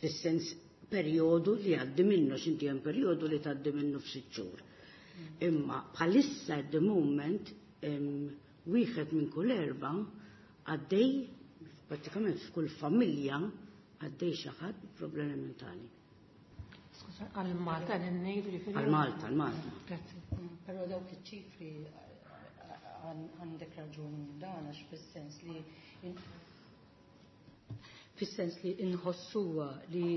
S8: fis-sens perjodu li għaddi minnu, x'inti hemm perjodu li tgħaddi minnu f'sitt xhur. Imma bħalissa at the moment em, wieħed minn kull erba' għaddej, pratikament f'kull familja għaddej xi ħadd problemi mentali.
S6: Skuża, għal Malta l-ngħidu ġifieri?
S8: Għal Malta, għal Malta.
S6: Grazzi.
S4: Però dawk iċ-ċifri għandek raġun dan, għax fis-sens li fis-sens li inħossuha li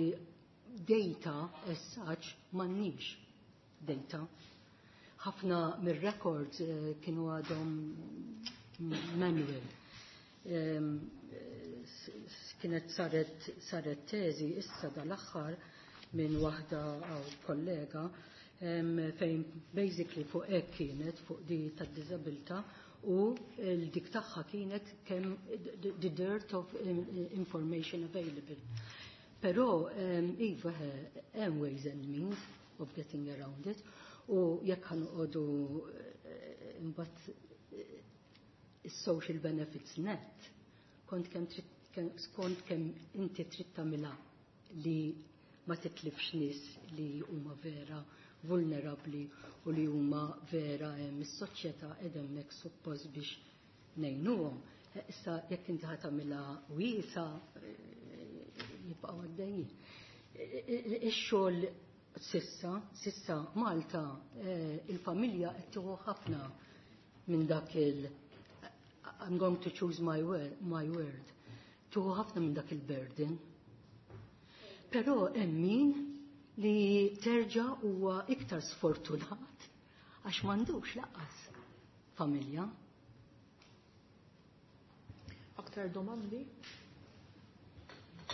S4: data as such m'għandniex data. Ħafna mir-records eh, kienu għadhom manual. Em, s- s- Kienet saret saret teżi issa dal-aħħar minn waħda aw kollega em, fejn basically fuq hekk kienet fuq di tad-diżabilità u l-dik tagħha kienet kemm the the dearth of information available. Però um, iva, hemm ways and means of getting around it u jekk ħa noqogħdu eh, imbagħad eh, is-social benefits net kont kemm trid kemm- skont kemm inti trid tagħmilha li ma titlifx nies li huma vera vulnerabbli u li huma vera hemm is-soċjetà qed hemmhekk suppost biex ngħinuhom. Eh, Issa jekk inti ħa tagħmilha wiesa, eh, jibqgħu għaddejjin. Eh, Ix-xogħol sissa, sissa Malta eh, il-familja qed tieħu ħafna minn dak il I'm going to choose my word, my word. Tieħu ħafna minn dak il-burden. Però hemm min li terġa' huwa iktar sfortunat għax m'għandux lanqas familja.
S1: Aktar domandi?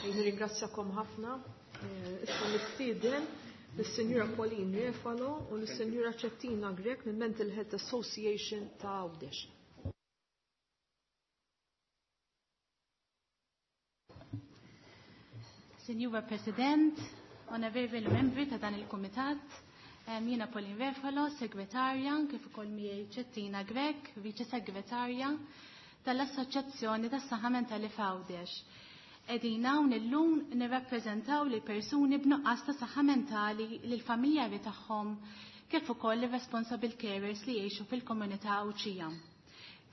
S1: Nirringrazzjakom ħafna. Issa nistieden lis-Sinjura Pauline Refalo u lis-Sinjura Ċettina Grech minn Mental Health Association ta' Għawdex.
S9: Sinjura President, onorevoli membri ta' dan il-Kumitat, jiena Pauline Refalo, segretarja, kif ukoll miegħi Ċettina Grech, viċe segretarja tal-Assoċjazzjoni tas-Saħħa Mentali f'Għawdex. Qegħdin hawn illum nirrappreżentaw lil persuni b'nuqqas ta' saħħa mentali lil familjari tagħhom kif ukoll ir-responsible carers li jgħixu fil-komunità Għawdxija.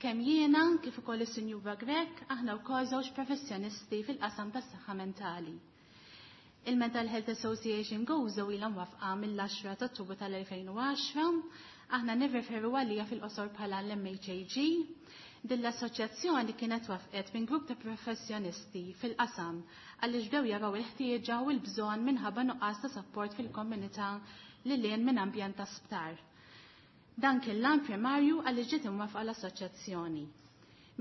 S9: Kemm jiena kif ukoll is-Sinjura Grech aħna wkoll żewġ professjonisti fil-qasam tas-saħħa mentali. Il-Mental Health Association Gozo ilha mwafqa mill-għaxra ta' Ottubru tal-elfejn u għaxra, aħna nirreferu għalija fil-qosor bħala l-M H A G. Din l-assoċjazzjoni kienet wafqet minn grupp ta' professjonisti fil-qasam għaliex bdew jaraw il-ħtieġa u l-bżonn minħabba nuqqas ta' sapport fil-komunità li lien minn ambjent ta' sptar. Dan kien l-għan primarju għaliex ġiet imwafqa l-assoċjazzjoni.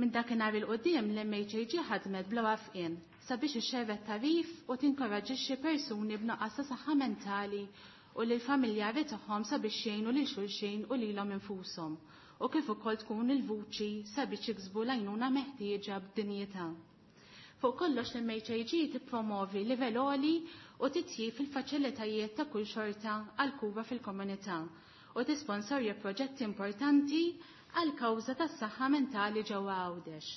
S9: Minn dakinhar il-qudiem l-M H A G ħadmet bla wafqien sabiex ixxerret tarif u tinkoraġixxi persuni b'nuqqas ta' saħħa mentali u lil familjari tagħhom sabiex jgħinu lil xulxin u lilhom infushom u kif ukoll tkun il-vuċi sabiex jiksbu l-għajnuna meħtieġa b'dinjità. Fuq kollox l-M H A G tippromovi livell għoli u titjib fil-faċilitajiet ta' kull xorta għal kura fil-komunità u tisponsorja proġetti importanti għal kawża tas-saħħa mentali ġewwa Għawdex.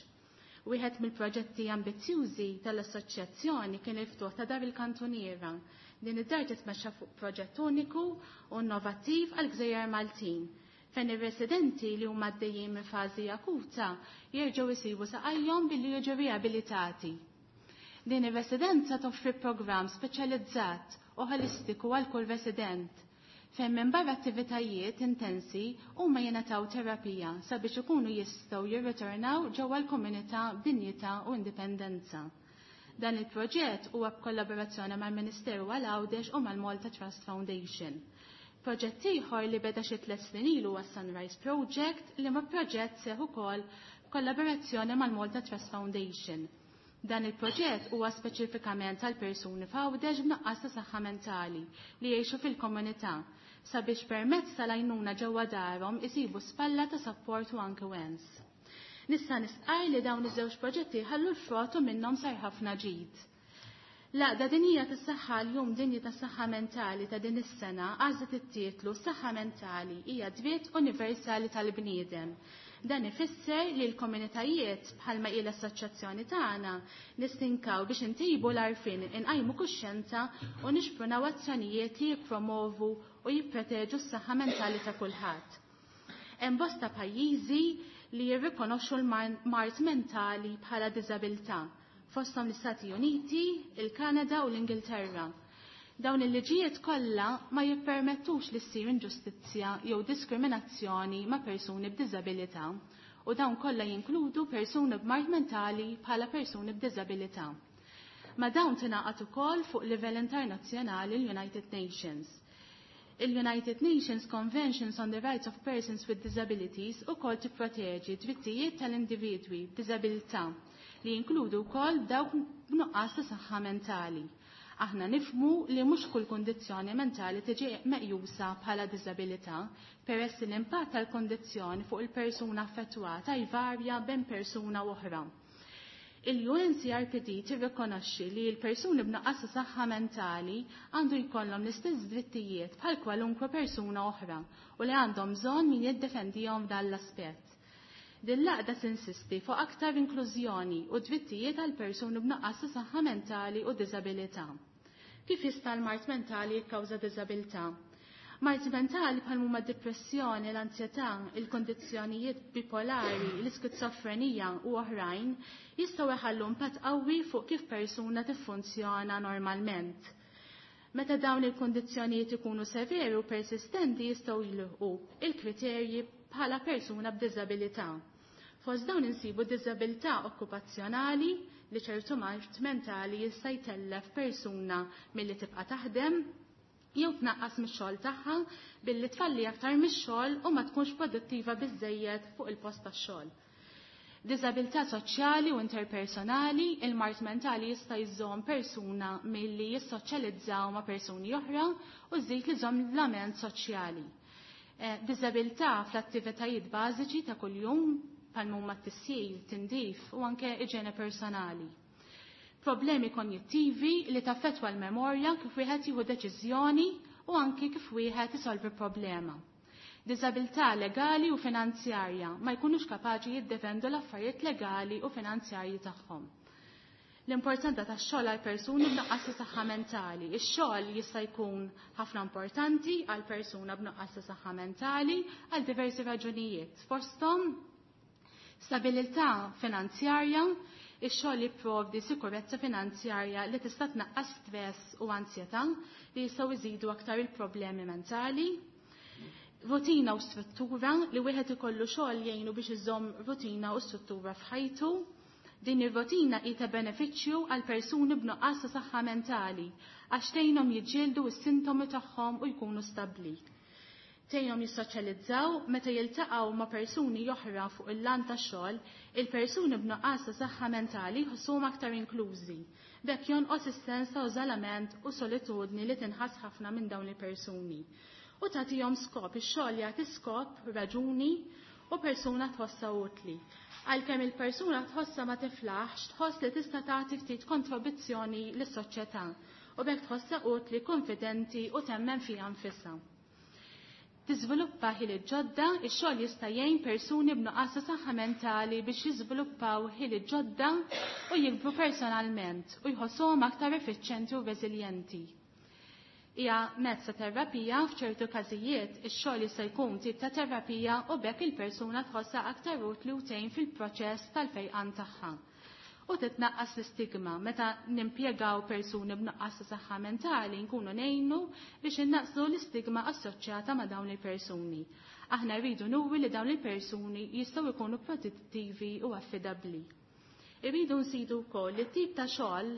S9: Wieħed mill-proġetti ambizzjużi tal-assoċjazzjoni kien il-ftuħ ta' Dar il-Kantuniera. Din id-dar titmexxa fuq proġett uniku u innovattiv għal gżejjer Maltin, fejn ir-residenti li huma għaddejjin minn fażi akuta jerġgħu jsibu saqajhom billi jiġu riabilitati. Din ir-residenza toffri programm speċjalizzat u ħolistiku għal kull resident, fejn minn barra attivitajiet intensi huma jingħataw terapija sabiex ikunu jistgħu jirritornaw ġewwa l-komunità b'dinjità u indipendenza. Dan il-proġett huwa b'kollaborazzjoni mal-Ministeru għal Għawdex u mal-Malta Trust Foundation. Proġett ieħor li beda xi tliet snin ilu huwa Sunrise Project li ma proġett seħ ukoll b'kollaborazzjoni mal-Malta Trust Foundation. Dan il-proġett huwa speċifikament għal persuni f'Għawdex b'nuqqas ta' saħħa mentali li jgħixu fil-komunità sabiex permezz tal-għajnuna ġewwa darhom isibu spalla ta' sapport u anke wens. Nista' nistqarr li dawn iż-żewġ proġetti ħallu l-frott u minnhom sar ħafna ġid. L-Għaqda Dinjija tas-Saħħa l-Jum Dinji tas-Saħħa Mentali ta' din is-sena għażlet it-titlu Saħħa Mentali hija dritt universali tal-bniedem. Dan ifisser li l-komunitajiet bħalma hi l-assoċjazzjoni tagħna nistinkaw biex intejbu l-għarfien, inqajmu kuxjenza u nixprunaw azzjonijiet li jippromovu u jipproteġu s-saħħa mentali ta' kulħadd. Hemm bosta pajjiżi li jirrikonoxxu l-mard mentali bħala diżabilità, fosthom l-Istati Uniti, il-Kanada u l-Ingilterra. Dawn il-liġijiet kollha ma jippermettux li ssir inġustizzja jew diskriminazzjoni ma' persuni b'diżabilità u dawn kollha jinkludu persuni b'mard mentali bħala persuni b'diżabilità. Ma' dawn tingħaqad ukoll fuq livell internazzjonali l-United Nations. Il-United Nations Conventions on the Rights of Persons with Disabilities ukoll tipproteġi drittijiet tal-individwi b'diżabilità li jinkludu wkoll dawk b'nuqqas ta' saħħa mentali. Aħna nifhmu li mhux kull kundizzjoni mentali tiġi meqjusa bħala diżabilità, peress li l-impatt tal-kundizzjoni fuq il-persuna affettwata jvarja bejn persuna u oħra. Il-U N C R P D tirrikonoxxi li l-persuni b'nuqqas ta' saħħa mentali għandu jkollhom l-istess drittijiet bħal kwalunkwe persuna oħra u li għandhom bżonn min jiddefendihom f'dan l-aspett. Din l-għaqda tinsisti fuq aktar inklużjoni u drittijiet għal persuni b'nuqqas ta' saħħa mentali u diżabilità. Kif jista' l-mard mentali jikkawża diżabilità? Mard mentali bħal huma d-depressjoni, l-ansjetà, il-kondizzjonijiet bipolari, l-iskizofrenija u oħrajn jistgħu jħallu impatt qawwi fuq kif persuna tiffunzjona normalment. Meta dawn il-kondizzjonijiet ikunu severi u persistenti jistgħu jilħqu il-kriterji bħala persuna b'diżabilità. Fost dawn insibu diżabilità okkupazzjonali li ċertu mard mentali jista' jtellef persuna milli tibqa' taħdem jew tnaqqas mix-xogħol tagħha billi tfalli aktar mix-xogħol u ma tkunx produttiva biżżejjed fuq il-post tax-xogħol. Diżabilità soċjali u interpersonali, il-mard mentali jista' jżomm persuna milli jissoċjalizzaw ma' persuni oħra u żżid li żomm l-lament soċjali. Eh, diżabilità fl-attivitajiet bażiċi ta' kuljum bħal huma t-tisjir, tindif u anke iġene personali. Problemi konjittivi li taffettwa l-memorja kif wieħed jieħu deċiżjoni u anke kif wieħed isolvi problema. Diżabilità legali u finanzjarja ma jkunux kapaċi jiddefendu l-affarijiet legali u finanzjarji tagħhom. L-importanza tax-xogħol għal persuni b'nuqqas ta' saħħa mentali. Ix-xogħol jista' jkun ħafna importanti għal persuna b'nuqqas ta' saħħa mentali għal diversi raġunijiet. Fosthom stabilità finanzjarja, ix-xogħol jipprovdi sikurezza finanzjarja li tista' tnaqqas stress u ansjetà li jistgħu jżidu aktar il-problemi mentali. Rutina u struttura li wieħed ikollu xogħol jgħinu biex iżomm rutina u struttura f'ħajtu. Din ir-rutina hi ta' benefiċċju għal persuni b'nuqqas ta' saħħa mentali għax tgħinhom jiġġieldu s-sintomi tagħhom u jkunu stabbli. Tgħinhom jissoċjalizzaw meta jiltaqgħu ma' persuni oħra fuq il-lan tax-xogħol, il-persuni b'nuqqas ta' saħħa mentali jħossuhom aktar inklużi. B'hekk jonqos is-sens ta' iżolament u solitudni li tinħass ħafna minn dawn il-persuni. U tagħtihom skop, ix-xogħol jagħti skop, raġuni u persuna tħossha utli. Għalkemm il-persuna tħossha ma tiflaħx, tħoss li tista' tagħti ftit kontribuzzjoni lis-soċjetà u b'hekk tħossha utli, konfidenti u temmen fiha nfisha. Tiżviluppa ħiliet ġodda, ix-xogħol jista' jgħin persuni b'nuqqas ta' saħħa mentali biex jiżviluppaw ħiliet ġodda u jikbru personalment u jħossuhom aktar effiċjenti u reżiljenti. Hija mezz ta' terapija f'ċertu każijiet ix-xogħol jista' jkun tip ta' terapija u b'hekk il-persuna tħossha aktar utli u tgħin fil-proċess tal-fejqan tagħha. U titnaqqas l-istigma meta nimpjegaw persuni b'nuqqas ta' saħħa mentali nkunu ngħinu biex innaqsu l-istigma assoċjata ma' dawn il-persuni. Aħna rridu nuri li dawn il-persuni jistgħu jkunu produttivi u affidabbli. Irridu nsidu wkoll li tip ta' xogħol,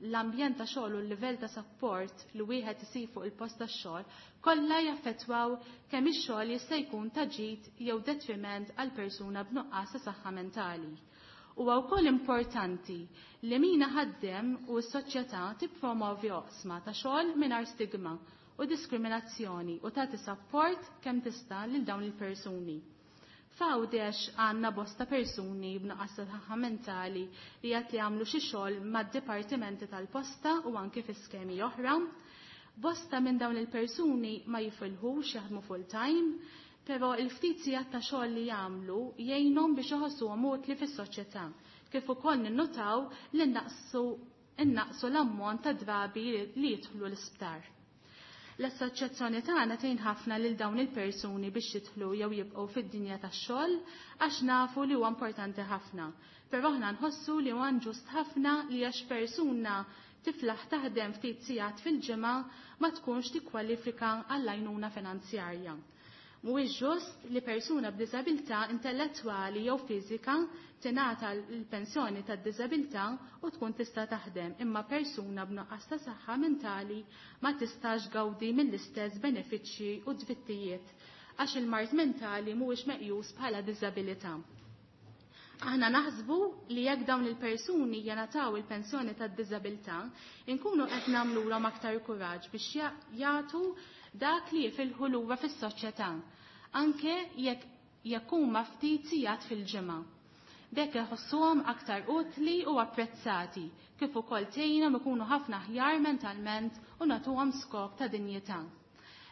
S9: l-ambjent ta' xogħol u l-livell ta' support li wieħed isib fuq il-post tax-xogħol kollha jaffettwaw kemm ix-xogħol jista' jkun ta' ġid jew detriment għal persuna b'nuqqas ta' saħħa mentali. Huwa wkoll importanti li min ħaddem u s-soċjetà tippromovi oqsma ta' xogħol mingħajr stigma u diskriminazzjoni u tagħti support kemm tista' lil dawn il-persuni. F'Għawdex għandna bosta persuni b'nuqqas ta' saħħa mentali li qed li jagħmlu xi xogħol mad-dipartimenti tal-posta u anke fi skemi oħra. Bosta minn dawn il-persuni ma jifilħux jaħdmu full time, però il-ftit sigħat ta' xogħol li jagħmlu jgħinhom biex iħossuhom utli fis-soċjetà, kif ukoll ninnutaw li naqsu innaqsu l-ammont ta' drabi li jidħlu l-isptar. L-assoċjazzjoni tagħna tgħin ħafna lil dawn il-persuni biex jidħlu jew jibqgħu fid-dinja tax-xogħol għax nafu li huwa importanti ħafna. Però aħna nħossu li huwa inġust ħafna li għax persuna tiflaħ taħdem ftit sigħat fil-ġimgħa ma tkunx tikkwalifika għall-għajnuna finanzjarja. Mhuwiex ġust li persuna b'diżabilità intellettwali jew fiżika tingħata l-pensjoni tad-diżabilità u tkun tista' taħdem, imma persuna b'nuqqas ta' saħħa mentali ma tistax gawdi mill-istess benefiċċji u drittijiet għax il-mard mentali mhuwiex meqjus bħala diżabilità. Aħna naħsbu li jekk dawn il-persuni jingħataw il-pensjoni tad-diżabilità, inkunu qed nagħmluhom aktar kuraġġ biex jagħtu dak li jifilħu lura fis-soċjetà, anke jekk jekk huma ftit sigħat fil-ġimgħa. B'hekk iħossuhom aktar utli u apprezzati, kif ukoll tgħinhom ikunu ħafna aħjar mentalment u nagħtuhom skop ta' dinjità.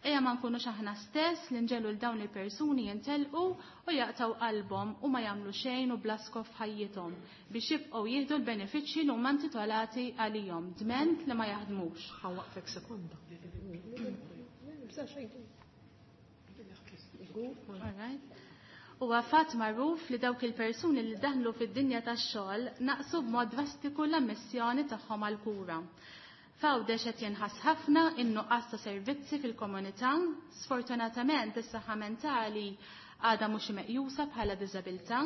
S9: Ejja ma nkunux aħna stess li nġelu l dawn il-persuni jintelqu u jaqtaw qalbhom u ma jagħmlu xejn u bla skop f'ħajjithom biex jibqgħu jieħdu l-benefiċċji li huma intitolati għalihom dment li ma jaħdmux.
S1: Ħawaqfek sekonda.
S9: Huwa fatt magħruf li dawk il-persuni li daħlu fid-dinja tax-xogħol naqsu b'mod drastiku l-ammissjoni tagħhom għall-kura. F'Għawdex qed jinħass ħafna in-nuqqas ta' servizzi fil-komunità, sfortunatament is-saħħa mentali għadha mhux meqjusa bħala diżabilità.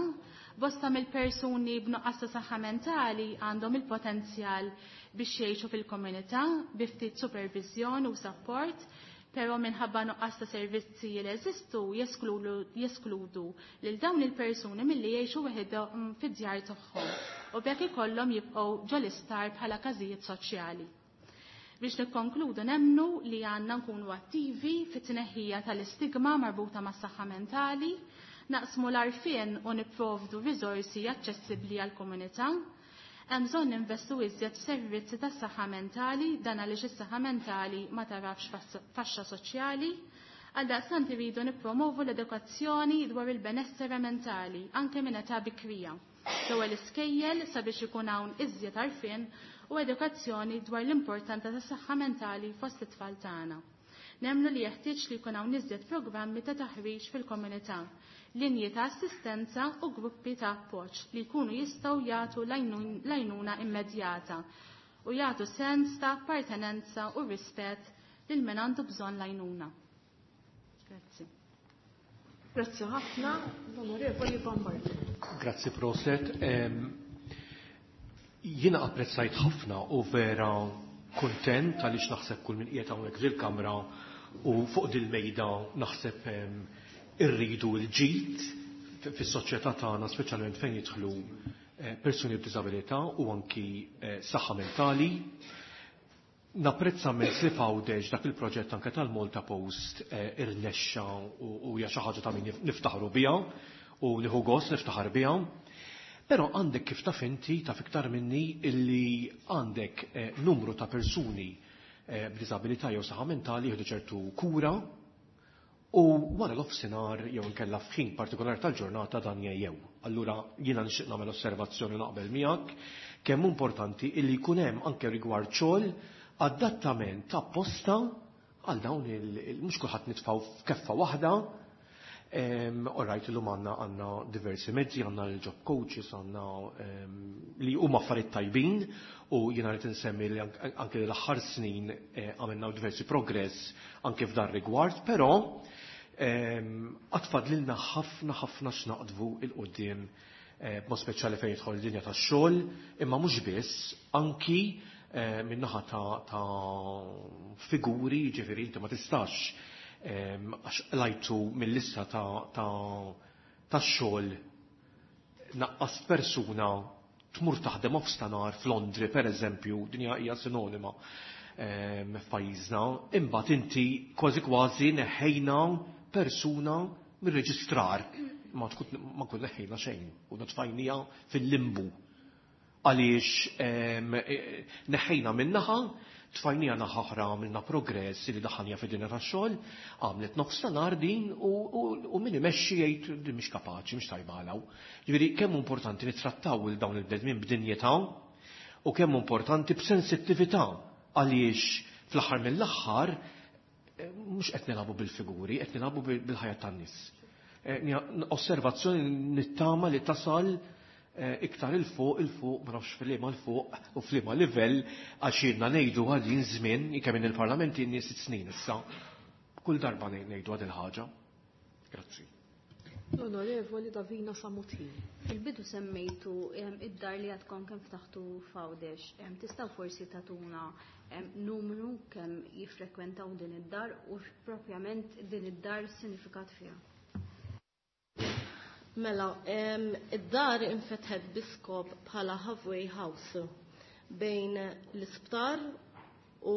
S9: Bosta mill-persuni b'nuqqas ta' saħħa mentali għandhom il-potenzjal biex jgħixu fil-komunità bi ftit supervizjoni u support, Però minħabba nuqqas ta' servizzi li jeżistu jeskludu lil dawn il-persuni milli jgħixu weħidhom fid-djar tagħhom u b'hekk ikollhom jibqgħu ġol-isptar bħala każijiet soċjali. Biex nikkonkludu nemmnu li għandna nkunu attivi fit-tneħħija tal-istigma marbuta mas-saħħa mentali, naqsmu l-għarfien u nipprovdu riżorsi aċċessibbli għall-komunità. Hemm bżonn ninvestu iżjed f'servizzi tas-saħħa mentali dan għaliex is-saħħa mentali ma tarafx faxxa soċjali. Għaldaqstant iridu nippromovu l-edukazzjoni dwar il-benessere mentali anke minn età bikrija. L-ewwel iskejjel sabiex ikun hawn iżjed għarfien u edukazzjoni dwar l-importanza tas-saħħa mentali fost it-tfal tagħna. Nemmnu li jeħtieġ li jkun hawn iżjed programmi ta' taħriġ fil-komunità, linji ta' assistenza u gruppi ta' appoġġ li jkunu jistgħu jagħtu l-għajnuna immedjata u jagħtu sens ta' appartenenza u rispett lil min għandu bżonn l-għajnuna. Grazzi.
S1: Grazzi ħafna, l-Onorevoli Bombardi.
S10: Grazzi proset. Jiena apprezzajt ħafna u vera kuntent għaliex naħseb kull min qiegħed hawnhekk fil-kamra u fuq dil-mejda naħseb irridu l-ġid fis-soċjetà tagħna, speċjalment fejn jidħlu persuni b'diżabilità u anki saħħa mentali. Napprezza mezz li f'Għawdex dak il-proġett anke tal-Malta Post irnexxa u hija xi ħaġa ta' min niftaħru biha u nieħu gost niftaħar biha. Però għandek kif taf inti, taf iktar minni, illi għandek numru ta' persuni b'diżabilità jew saħħa mentali jieħdu ċertu kura u wara l-offsinar jew inkella f'ħin partikolari tal-ġurnata dan jgħjew. Allura jiena nixtieq nagħmel osservazzjoni naqbel miegħek kemm importanti illi jkun hemm anke rigward xogħol adattament apposta għal dawn il mhux kulħadd nitfgħu f'keffa waħda. All right, illum għandna għandna diversi mezzi, għandna l-job coaches, għandna li huma affarijiet tajbin u jiena rrid insemmi li anke l-aħħar snin għamilna diversi progress anke f'dan rigward, però għad fadlilna ħafna ħafna x'naqdvu 'l quddiem b'mod speċjali fejn jidħol id-dinja tax-xogħol, imma mhux biss, anki min-naħa ta' figuri, ġifieri inti ma tistax għax lajtu mill-lista ta' xogħol naqqas persuna tmur taħdem offstanar f'Londri pereżempju, din hija sinonima f'pajjiżna, imbagħad inti kważi kważi neħħejna persuna mir-reġistrar, ma tkun neħħejna xejn u nitfajnija fil-limbu. Għaliex neħħejna minnaħa, tfajnija naħa oħra għamilna progress li daħħalnija fid-dinja tax-xogħol, għamlet nofs ta' nhar din u min imexxi jgħid din mhix kapaċi, mhix tajba għalaw. Ġifieri kemm importanti nittrattaw il dawn il-bnedmin b'dinjità u kemm importanti b'sensittività għaliex fl-aħħar mill-aħħar mhux qed nilagħbu bil-figuri, qed nilagħbu bil-ħajja tan-nies. Osservazzjoni nittama li tasal iktar il-fuq, il-fuq, ma nafx fil-liema l-fuq u fil-liema livell, għax jiena ngħidu għadin żmien, kemm in il-Parlament inni sitt snin issa. Kull darba ngħidu għad il-ħaġa. Grazzi.
S1: L-Onorevoli Davina Samutin.
S7: Fil-bidu semmejtu id-dar li għadkom kemm ftaħtu f'Għawdex. Tistgħu forsi tagħtuna numru kemm jiffrekwentaw din id-dar u propjament din id-dar sinifikat fiha?
S11: Mela, id-dar infetħet biskop bħala halfway house bejn l-isptar u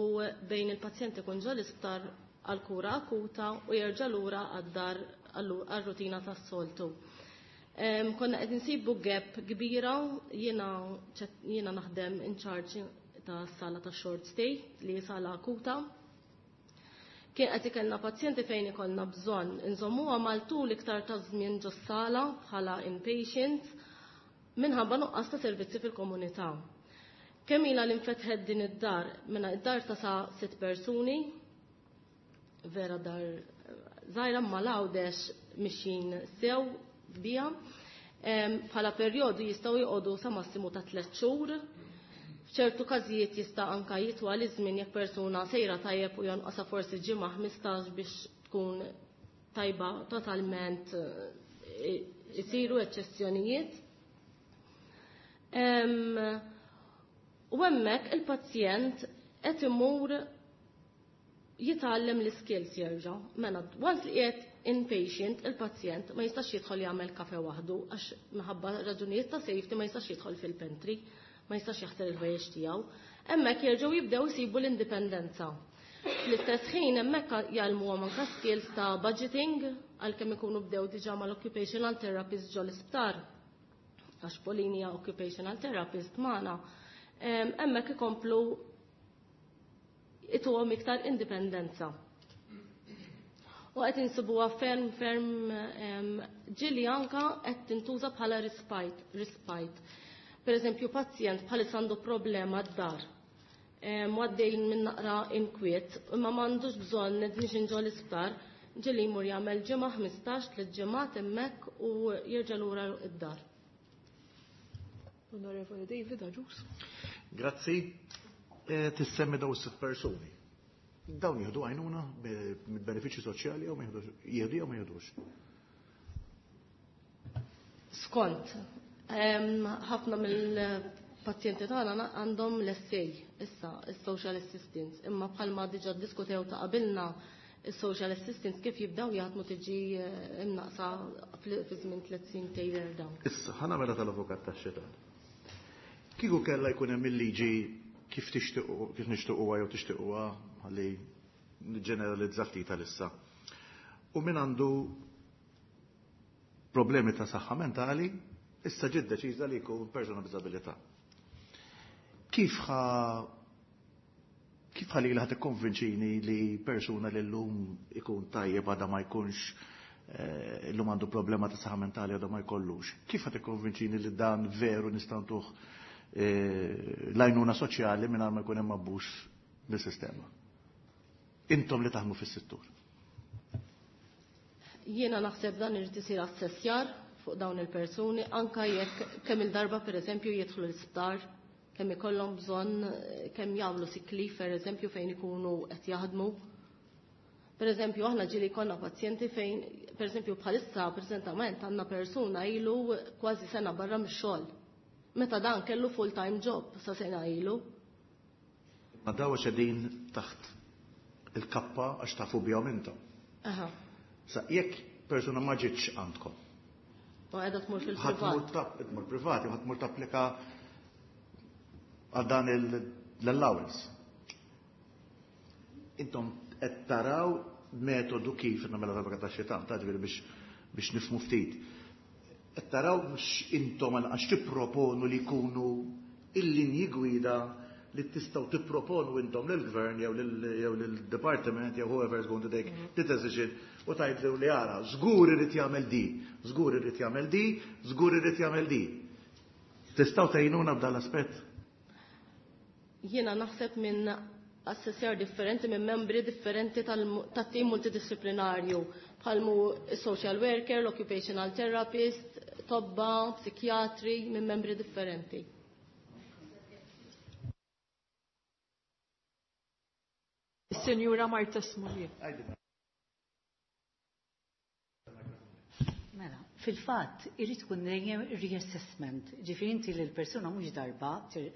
S11: bejn il-pazjent ikun ġo l-isptar għal kura akuta u jerġa' lura għad-dar għal-rutina tas-soltu. Konna qed insibu gap kbira, jiena jiena naħdem in charge ta' sala ta' short stay li sala akuta. Kien qed ikollna pazjenti fejn ikollna bżonn inżommuha mal-tul iktar ta' żmien ġos-sala bħala inpatient minħabba nuqqas ta' servizzi fil-komunità. Kemm ilha li nfetħet din id-dar? Mela id-dar ta' sa' sitt persuni, vera dar żgħira ma l-Għawdex mixjin sew bija. Bħala perjodu jistgħu joqogħdu sa massimu ta' tliet xhur. F'ċertu każijiet jista' anka jitwal iż-żmien jekk persuna sejra tajjeb u jonqosha forsi ġimgħa ħmistax biex tkun tajba totalment, isiru eċċezzjonijiet. U hemmhekk il-pazjent qed imur Jitgħallem l-skills jerġa'. Mela, once li qiegħed inpatient, il-pazjent ma jistax jidħol jagħmel kafe waħdu għax minħabba raġunijiet ta' safety ma jistax jidħol fil-pantry, ma jistax jaħsel il-ħwejjeġ tiegħu. Hemmhekk jerġgħu jibdew isibu l-indipendenza. Fl-istess ħin hemmhekk jgħallmuhom anke skills ta' budgeting għalkemm ikunu bdew diġà mal-occupational therapist ġo l-isptar. Għax Pauline hija occupational therapist magħna. Hemmhekk ikomplu ituhom iktar indipendenza. U qed insibuha ferm ferm ġieli anka qed tintuża bħala respite, respite. Per eżempju, pazjent bħalissa għandu problema d-dar. Għaddejn minn naqra inkwiet, imma m'għandux bżonn admission ġo l-isptar, ġieli jmur jagħmel ġimgħa ħmistax, tliet ġimgħat hemmhekk u jerġa' lura id-dar.
S1: Onorevole David Agius.
S3: Grazzi. Tissemmi daw sitt persuni. Dawn jieħdu għajnuna mill-benefiċċji soċjali jew ma jieħdu jew ma jieħdux?
S11: Skont, ħafna mill-pazjenti tagħna għandhom l-S A issa, is-social assistance, imma bħalma diġà ddiskutew ta' qabilna is-social assistance kif jibdew jaħdmu tiġi imnaqsa fi żmien tliet snin tejjer dawn.
S3: Issa ħa nagħmilha tal-avukat tax-xitan. Kieku kellha jkun hemm il-liġi kif tixtiequ, kif nixtiequha jew tixtiequha ħalli niġġeneralizza ftit għalissa. U min għandu problemi ta' saħħa mentali, issa ġiet deċiża li jkun persuna b'diżabilità. Kif ħa kif ħalli li ħa tikkonvinċini li persuna li llum ikun tajjeb għadha ma jkunx eh, illum għandu problema ta' saħħa mentali għadha ma jkollux? Kif ħa tikkonvinċini li dan veru nistgħu ntuh l-għajnuna soċjali mingħajr ma jkun hemm abbuż bis-sistema? Intom li taħdmu fis-settur.
S11: Jiena naħseb dan irid isir assessjar fuq dawn il-persuni, anka jekk kemm il-darba pereżempju jidħlu l-isptar, kemm ikollhom bżonn, kemm jagħmlu sick leave pereżempju fejn ikunu qed jaħdmu. Pereżempju aħna ġieli konna pazjenti fejn pereżempju bħalissa preżentament għandna persuna ilu kważi sena barra mix-xogħol. Meta dan kellu full-time job sa sena ilu.
S3: Ma daw qegħdin taħt il-kappa għax tafu bihom intom.
S11: Aha.
S3: Sa jekk persuna ma ġietx għandkom.
S11: U qiegħda tmur
S3: Ħadd tmur
S11: fil-privat.
S3: tap-, tmur privati, ħadd tmur tapplika għal dan l-allowance. Intom qed taraw metodu kif nagħmel l-avukat tax-xitan, ta' ġifieri biex, biex nifhmu ftit. Qed taraw mhux intom għax tipproponu li jkunu il-linji gwida li tistgħu tipproponu intom lill-gvern jew lil-, jew lill-department jew whoever is going to take the decision u tgħidlu li ara, żgur irid jagħmel di, żgur irid jagħmel di, żgur irid jagħmel di. Tistgħu tgħinuna b'dan l-aspett?
S11: Jiena naħseb minn assessjar differenti, minn membri differenti tal-mu-, tat-tim multidisciplinarju, bħalmu social worker, l-occupational therapist, tobba, psikjatri, minn membri differenti.
S1: Signora Marta Smuliet.
S4: Mela, fil-fatt irid ikun dejjem reassessment. Ġifieri inti lil persuna mhux darba tir-,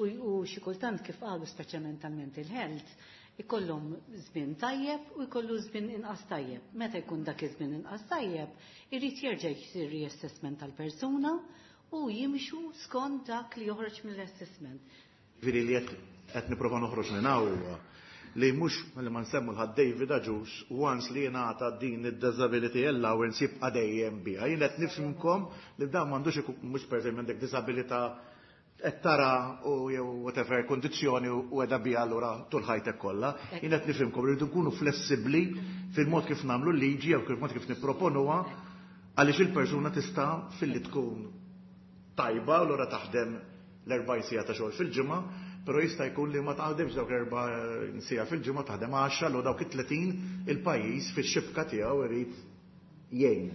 S4: u, u xi kultant kif qalu speċjalment tal-mental health, ikollhom żmien tajjeb u jkollu żmien inqas tajjeb. Meta jkun dak iż-żmien inqas tajjeb, irid jerġa' jsir reassessment tal-persuna u jimxu skont dak li joħroġ mill-assessment.
S3: Ġifieri li qed, qed nipprova noħroġ minn hawn huwa li mhux li ma nsemmu l-ħadd David Agius once li jingħata din id-disability allowance jibqa' dejjem biha. Jien qed nifhimkom li dan m'għandux ikun mhux pereżempju għandek disabilità qed tara u jew whatever kondizzjoni u qiegħda biha allura tul ħajtek kollha. Jien qed nifhimkom li rridu nkunu flessibbli fil-mod kif nagħmlu l-liġi jew fil-mod kif nipproponuha għaliex il-persuna tista' filli tkun tajba u allura taħdem l-erba' siegħa ta' xogħol fil-ġimgħa, però jista' jkun li ma taħdemx dawk l-erba' siegħa fil-ġimgħa, taħdem għaxra, l dawk it-tletin il-pajjiż fix-xibka tiegħu irid jgħin.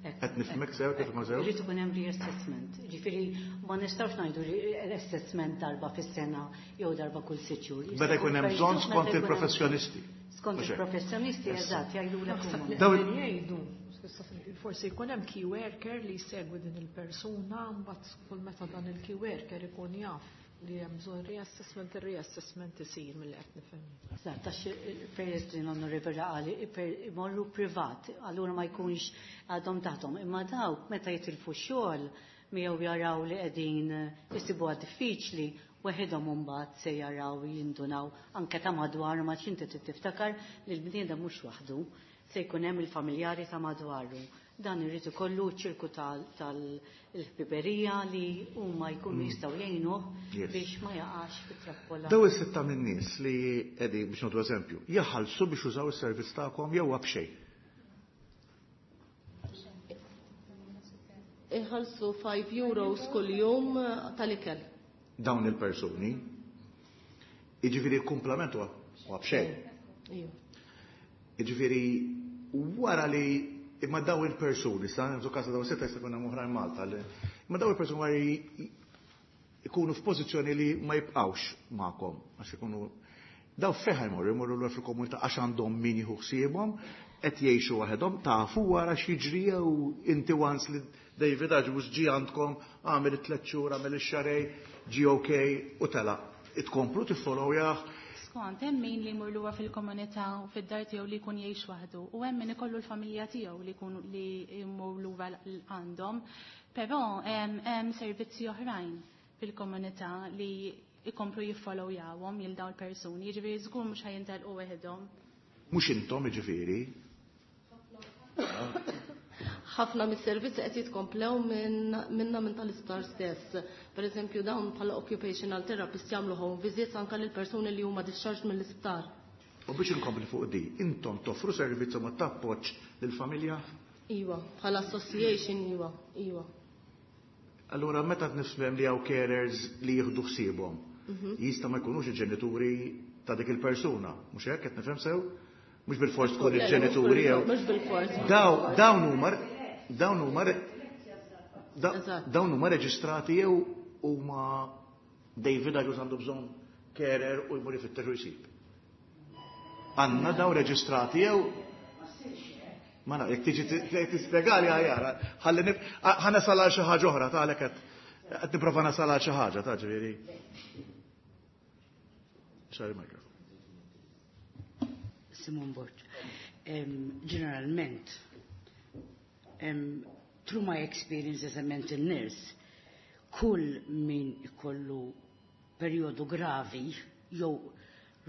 S3: Qed nifhmek sew kif ma sew?
S4: Irid ikun hemm reassessment. Ġifieri ma nistgħux ngħidu reassessment darba fis-sena jew darba kull sitt xhur.
S3: Meta jkun hemm bżonn
S4: Meta
S3: skont
S4: jkun hemm
S3: il-professjonisti.
S4: Skont
S3: Mhux hekk.
S4: il-professjonisti, eżatt, jgħidulek
S1: Naħseb
S4: huma.
S1: li
S3: Daw
S1: qegħdin jgħidu, forsi jkun hemm key worker li jsegwi din il-persuna, mbagħad kull meta dan il-key worker ikun jaf li hemm bżonn reassessment, ir-reassessment isir milli qed nifhem.
S4: Eżatt, għax peress li l-Onorevoli qal imorru privat, allura ma jkunx għadhom taħtom. Imma dawk meta jitilfu xogħol miegħu jaraw li qegħdin isibuha diffiċli, weħidhom imbagħad se jaraw jindunaw anke ta' madwar ma inti trid tiftakar li l-bniedem mhux waħdu, se jkun hemm il-familjari ta' madwaru. Dan irid ikollu ċirku tal-ħbiberija li huma jkunu jistgħu jgħinuh biex ma jaqax fit-trappola.
S3: Daw is-sitta min-nies li qegħdin biex nagħtu eżempju, jaħallsu biex użaw is-servizz tagħkom jew b'xejn?
S11: Iħallsu five euros kuljum tal-ikel.
S3: Dawn il-persuni, jiġifieri l-kumplament huwa b'xejn. Jiġifieri wara li imma daw il-persuni, sa nżu kasa daw sitta jista' jkun hemm oħrajn Malta, imma daw il-persuni wara jkunu f'pożizzjoni li ma jibqgħux magħkom, għax ikunu daw fejn jmorru, jmorru lura fil-komunità għax għandhom min jieħu ħsiebhom, qed jgħixu waħedhom, tafu wara x'jiġri jew inti once li David Agius ġie għandkom, għamel it-tliet xhur, għamel ix-xarej, ġie okej u telaq. Itkomplu tiffollowjah.
S9: Skont, hemm min li jmur lura fil-komunità u fid-dar tiegħu li jkun jgħix waħdu u hemm min ikollu l-familja tiegħu li jkunu li jmur lura għandhom, però hemm servizzi oħrajn fil-komunità li jkomplu jiffollowjawhom lil dawn il-persuni, jiġifieri żgur mhux ħajintelqu weħidhom.
S3: Mhux intom jiġifieri?
S11: Ħafna mis-servizzi qed jitkomplew minna minn tal-isptar stess. Per eżempju dawn bħala occupational therapist jagħmlu home visits anke lil persuni li huma discharged mill-isptar.
S3: U biex inkompli fuq di, intom toffru servizz ma tappoġġ lill-familja?
S11: Iwa, bħala association iwa, iwa.
S3: Allura meta nifhem li hawn carers li jieħdu ħsiebhom, jista' ma jkunux il-ġenituri ta' dik il-persuna, mhux hekk qed nifhem sew? Mhux bil-fors tkun il-ġenituri jew.
S11: Mhux bil-fors.
S3: Dawn huma dawn huma dawn huma reġistrati jew huma David Agius għandu bżonn carer u jmur ifittex u jsib. Għandna daw reġistrati jew ma naf, jekk tiġi tispjegali aħjar, ħalli ħa nasal għal xi ħaġa oħra ta' għalhekk qed nipprova nasal għal xi ħaġa ta' ġifieri. Sorry, microphone.
S8: Simon Borg. Ġeneralment, through my experience as a mental nurse, kull min ikollu periodu gravi jew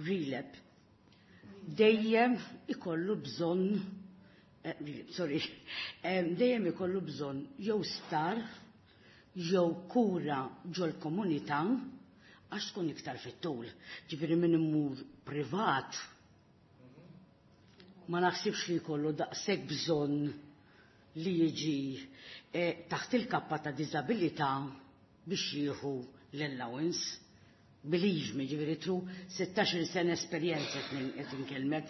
S8: relapse, dejjem ikollu bżonn, sorry, dejjem ikollu bżonn jew sptar, jew kura ġol komunità, għax tkun iktar fit-tul. Ġifieri min imur privat, ma naħsibx li jkollu daqshekk bżonn li jiġi taħt il-kappa ta' diżabilità biex jieħu l-allowance. Believe me, ġifieri through sittax-il sena esperjenza qed inkellmek.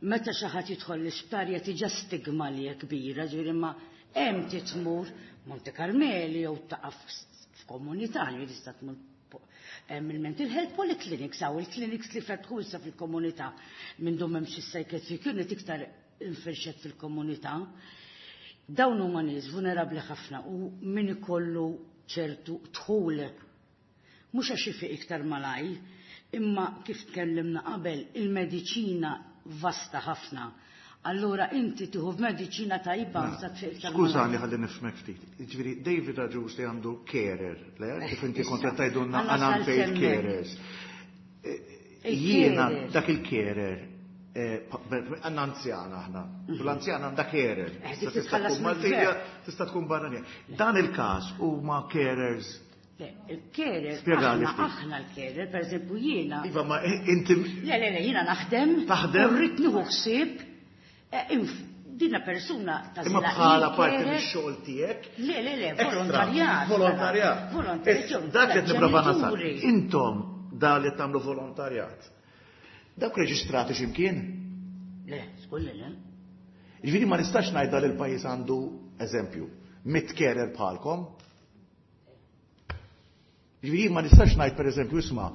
S8: Meta xi ħadd jidħol l-isptar jagħti ġa stigma li hija kbira, ġifieri ma hemm titmur Monte Carmeli jew taqaf f'komunità, ġifieri tista' tmur il-mental health polyclinics, għaw il-clinics li fetħu issa fil-komunità minn dum hemm xi psychiatric unit iktar infirxet fil-komunità. Dawn huma nies vulnerabbli ħafna u min ikollu ċertu dħul mhux għax ifiq iktar malaj, imma kif tkellimna qabel il-mediċina vasta ħafna. Allura inti tieħu f'mediċina tajba sa tfiq iktar malaj.
S3: Skużani ħalli nifhmek ftit. Jiġifieri David Agius li għandu carer, le? Kif inti kont qed tgħidulna
S8: Għandna
S3: għan unpaid
S8: sal-semmek.
S3: carers. Jiena dak il-carer, għandna anzjana aħna. U l-anzjana għandha carer.
S8: Eh, dik
S3: Tista'
S8: titħallas
S3: tkun Maltija,
S8: mill-gvern.
S3: tista' tkun barranija. Dan il-każ huma carers.
S8: Le, il-carer,
S3: Spjegali
S8: aħna,
S3: ftit.
S8: aħna l-carer, per eżempju jiena.
S3: Iva, ma inti
S8: Le, le, le, jiena naħdem.
S3: Taħdem?
S8: U rrid nieħu ħsieb. Dina persuna ta'
S3: Imma
S8: zila
S3: bħala
S8: il-carer.
S3: parti mix-xogħol tiegħek?
S8: Le, le, le,
S3: Extra.
S8: volontarjat.
S3: Volontarjat.
S8: Volontarjat.
S3: Dak qed nipprova nasal.
S8: Ġenituri.
S3: Intom da li tagħmlu volontarjat. Dawk reġistrati x'imkien?
S8: Le, żgur li le.
S3: Jiġifieri ma nistax ngħidha li l-pajjiż għandu eżempju, mitt carer bħalkom. Jiġifieri ma nistax ngħid pereżempju isma'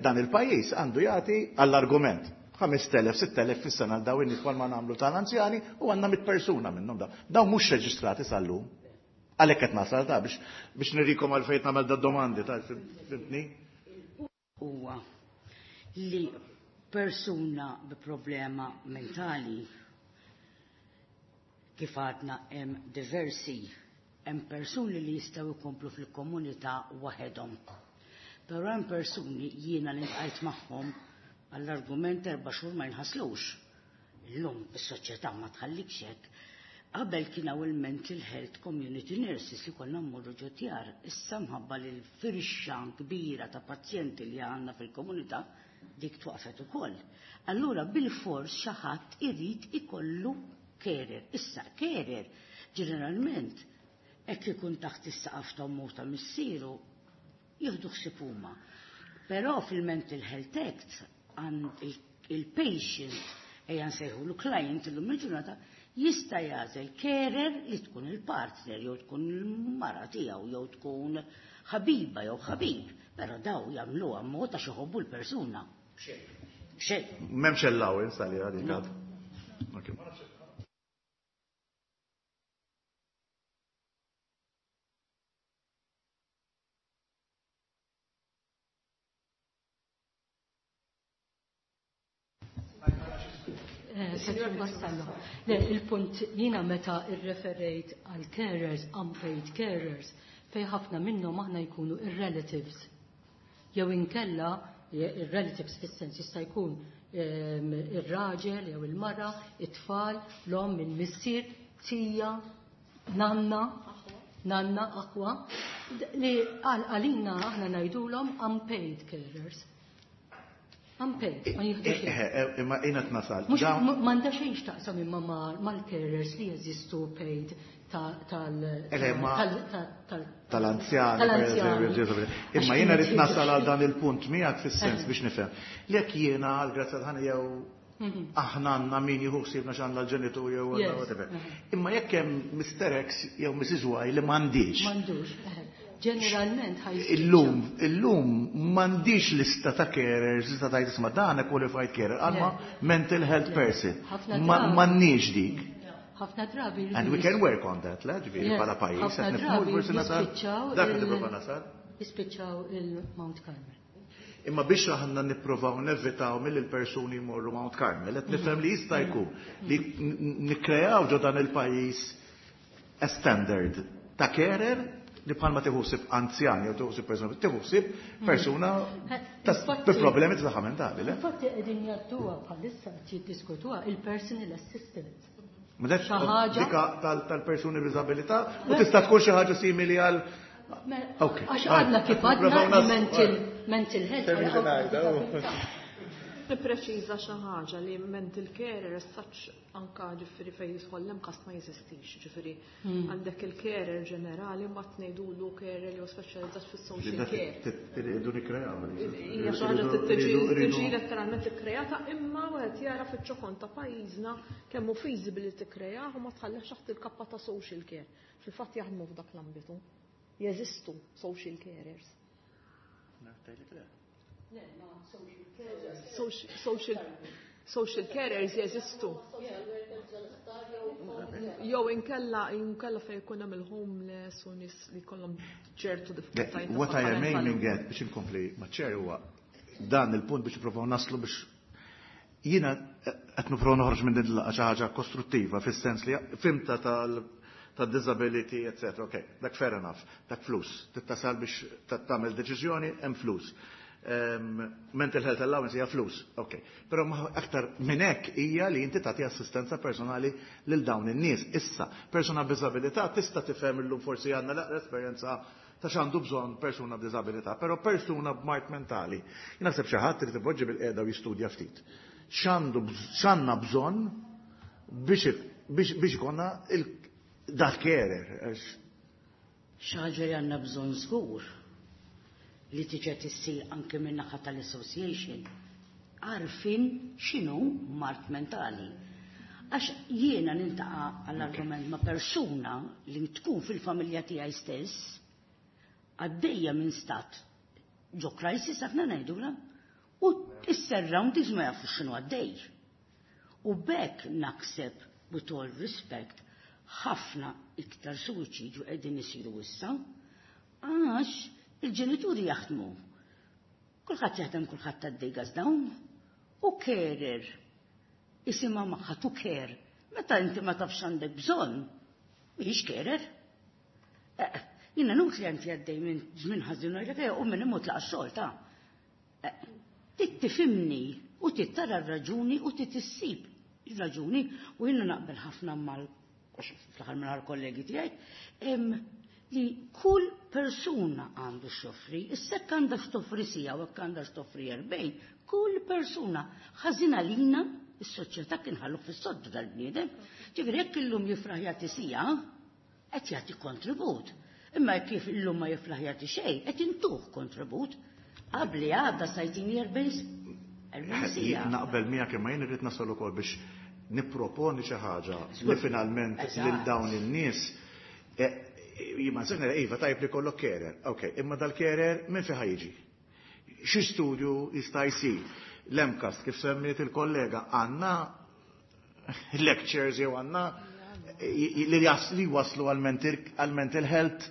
S3: dan il-pajjiż għandu jagħti għall-argument ħames telef, sitt telef fis-sena għal dawn in-nies ma nagħmlu tal-anzjani u għandna mitt persuna minnhom dawn. Dawn mhux reġistrati sal-lum. Għalhekk qed nasal ta' biex biex nirikom għalfejn nagħmel da domandi ta' fimtni?
S8: Huwa li persuna bi problema mentali kif għadna hemm diversi, hemm persuni li jistgħu jkomplu fil-komunità waħedhom. Però hemm persuni jiena li ntqajt magħhom għall-argument erba' xhur ma jinħaslux. Illum is-soċjetà ma tħallikx hekk. Qabel kien hawn il-mental health community nurses li konna mmorru ġo djar. Issa mħabba li l-firxa kbira ta' pazjenti li għandna fil-komunità dik twaqfet ukoll. Allura bil-fors xi ħadd irid ikollu carer. Issa carer ġeneralment hekk ikun taħt is-saqaf ta' ommu ta' missieru jieħdu ħsieb huma. Però fil-Mental Health Act għand il-patient ejja nsejħulu client illum il-ġurnata jista' jagħżel carer li tkun il-partner jew tkun il-mara tiegħu jew tkun ħabiba jew ħabib, però daw jagħmluha mod għax iħobbu l-persuna. Xejn.
S3: M'hemmx allowance għaliha dik għad. Okay.
S4: Signor Vassallo, le, il-punt jiena meta irreferejt għal carers, unpaid carers, fej ħafna minnhom aħna jkunu ir-relatives. Jew inkella ir-relatives fis-sens jista' jkun ehm, ir-raġel jew il-mara, it-tfal, l-omm, il-missier, tija, nanna, nanna, aħwa, li għalina aħna ngħidulhom unpaid carers. Unpaid, ma jieħdu xejn.
S3: Eh, eh, Imma jiena nasal.
S4: Mhux
S3: Dawn-
S4: m'għandha xejn x'taqsam imma ma- mal-carers li jeżistu paid ta- tal
S3: Eh, ma-
S4: tal- tal- tal-
S3: tal-anzjani. per
S4: Tal-anzjani.
S3: eżempju, Imma
S4: Għax
S3: jiena rrid
S4: kienet
S3: nasal għal dan il-punt miegħek fis-sens
S4: Eh.
S3: biex nifhem. Jekk jiena għal grazzja tal-ħana jew aħna għandna min jieħu ħsiebna x'għandna l-ġenitur jew
S4: Yes.
S3: whatever. Imma jekk hemm Mister X jew Missus Y li m'għandix.
S4: M'għandux. eh. Ġeneralment ħaj
S3: Illum, illum m'għandix lista ta' carers, lista ta' isma' dan qualified carer, għandna mental health person.
S4: Ħafna
S3: Ma-
S4: drabi.
S3: M'għandniex dik.
S4: Ħafna drabi
S3: And we can work on that, le, ġifieri
S4: Yes.
S3: bħala pajjiż,
S4: Ħafna
S3: qed nifhmu
S4: drabi
S3: forsi nasal.
S4: jispiċċaw
S3: Dak li
S4: il-
S3: tipprova nasal.
S4: Jispiċċaw il-Mount Carmel.
S3: Imma biex aħna nipprovaw nevitaw mill il-persuni jmorru Mount Carmel, qed nifhem li jista' jkun li nikkreaw ġo dan il-pajjiż a standard ta' carer li bħalma tieħu ħsieb anzjan jew tieħu ħsieb persuna, tieħu ħsieb persuna ta'
S4: Infatti-
S3: bi problemi ta' saħħa mentali, le?
S4: Infatti qegħdin jgħadduha bħalissa qed jiddiskutuha il-personal assistant.
S3: Ma dak
S4: Xi ħaġa-
S3: dika tal- tal-persuni b'diżabilità u tista' tkun xi ħaġa simili għal Ok.
S4: Għax għadna kif għadna
S3: Nipprovaw
S4: li
S3: nas-
S4: mental mental health.
S3: Termini ngħidha, oh.
S1: Nippreċiża xi ħaġa li mental carer as such anka ġifieri fejn jidħol l-MCAST ma jeżistix, ġifieri għandek il-carer ġenerali mbagħad ngħidulu carer li huwa speċjalizzat fis-social care.
S3: Irridu nikkreaw.
S1: Hija xi ħaġa tiġi tiġi letteralment ikkreata imma wieħed jara fiċ-ċokon ta' pajjiżna kemm hu feasible li tikkreah u ma tħallix taħt il-kappa ta' social care. Fil-fatt jaħdmu f'dak l-ambitu. Jeżistu social carers. Social, social, social carers jeżistu. Jew inkella inkella fejn ikun hemm il-homeless u nies li jkollhom ċertu diffikultajiet. ta'
S3: What I
S1: saħħa
S3: am
S1: mentali.
S3: aiming at biex inkompli ma' ċer huwa dan il-punt biex nipprovaw naslu biex jiena qed nipprovaw noħroġ minn din il-laqgħa xi ħaġa kostruttiva fis-sens li fimta tal ta' disability, et cetera. Ok, dak fair enough, dak flus. Tittasal biex ta- tagħmel deċiżjoni, hemm flus. Um, mental health allowance hija flus, ok. Però ma aktar minn hekk hija li inti tagħti assistenza personali lil dawn in-nies. Issa, persuna b'diżabilità tista' tifhem illum forsi għandna l-aqra esperjenza ta' x'għandu bżonn persuna b'diżabilità, però persuna b'mard mentali. Jien naħseb xi ħadd irid ipoġġi bil-qiegħda u jistudja ftit. X'għandu bż- x'għandna bżonn biex biex biex ikollna il dal-carer. Għax-
S8: Xi ħaġa li għandna bżonn żgur li tiġa tissir anke minn naħa tal-association għarfien x'inhu mard mentali. Għax jiena niltaqa' għall-argument ma' persuna li tkun fil-familja tiegħi stess għaddejja minn stat ġo crisis aħna ngħidula u s-surroundings ma jafux x'inhu għaddej. U b'hekk naħseb, with all respect, Ħafna iktar suwiċidju qegħdin isiru issa għax il-ġenituri jaħdmu. Kulħadd jaħdem, kulħadd għaddej dawn u carer isimha magħha to care. Meta inti ma tafx għandek bżonn, mhijiex carer. Eh, jiena nut li għanti għaddej minn żmien ħażin u u minn imut laqa xogħol ta' eh, Tit tifhimni u tittara r-raġuni u titissib ir-raġuni u jiena naqbel ħafna mal fl-aħħar minn kollegi tiegħi li kull persuna għandu x'joffri, issa jekk għandha x'toffri siegħa u jekk għandha x'toffri erbgħin, kull persuna ħażina lina is-soċjetà kien ħallu fis-soddu dal-bniedem. Ġifieri jekk illum jiflaħ jagħti siegħa, qed jagħti kontribut. Imma kif illum ma jiflaħ jagħti xejn, qed intuh kontribut. Qabli għadda sajtini erbgħin siegħa.
S3: Naqbel miegħek, imma jien irrid nasal ukoll biex nipproponi xi ħaġa li finalment lil dawn in-nies eh, jien nsejna iva tajb li kollok carer. Ok, imma dal-carer minn fejn jiġi? Xi studju jista' jsir? L-M CAST, kif semmiet il-kollega, għandna lectures jew għandna li waslu għal mental health.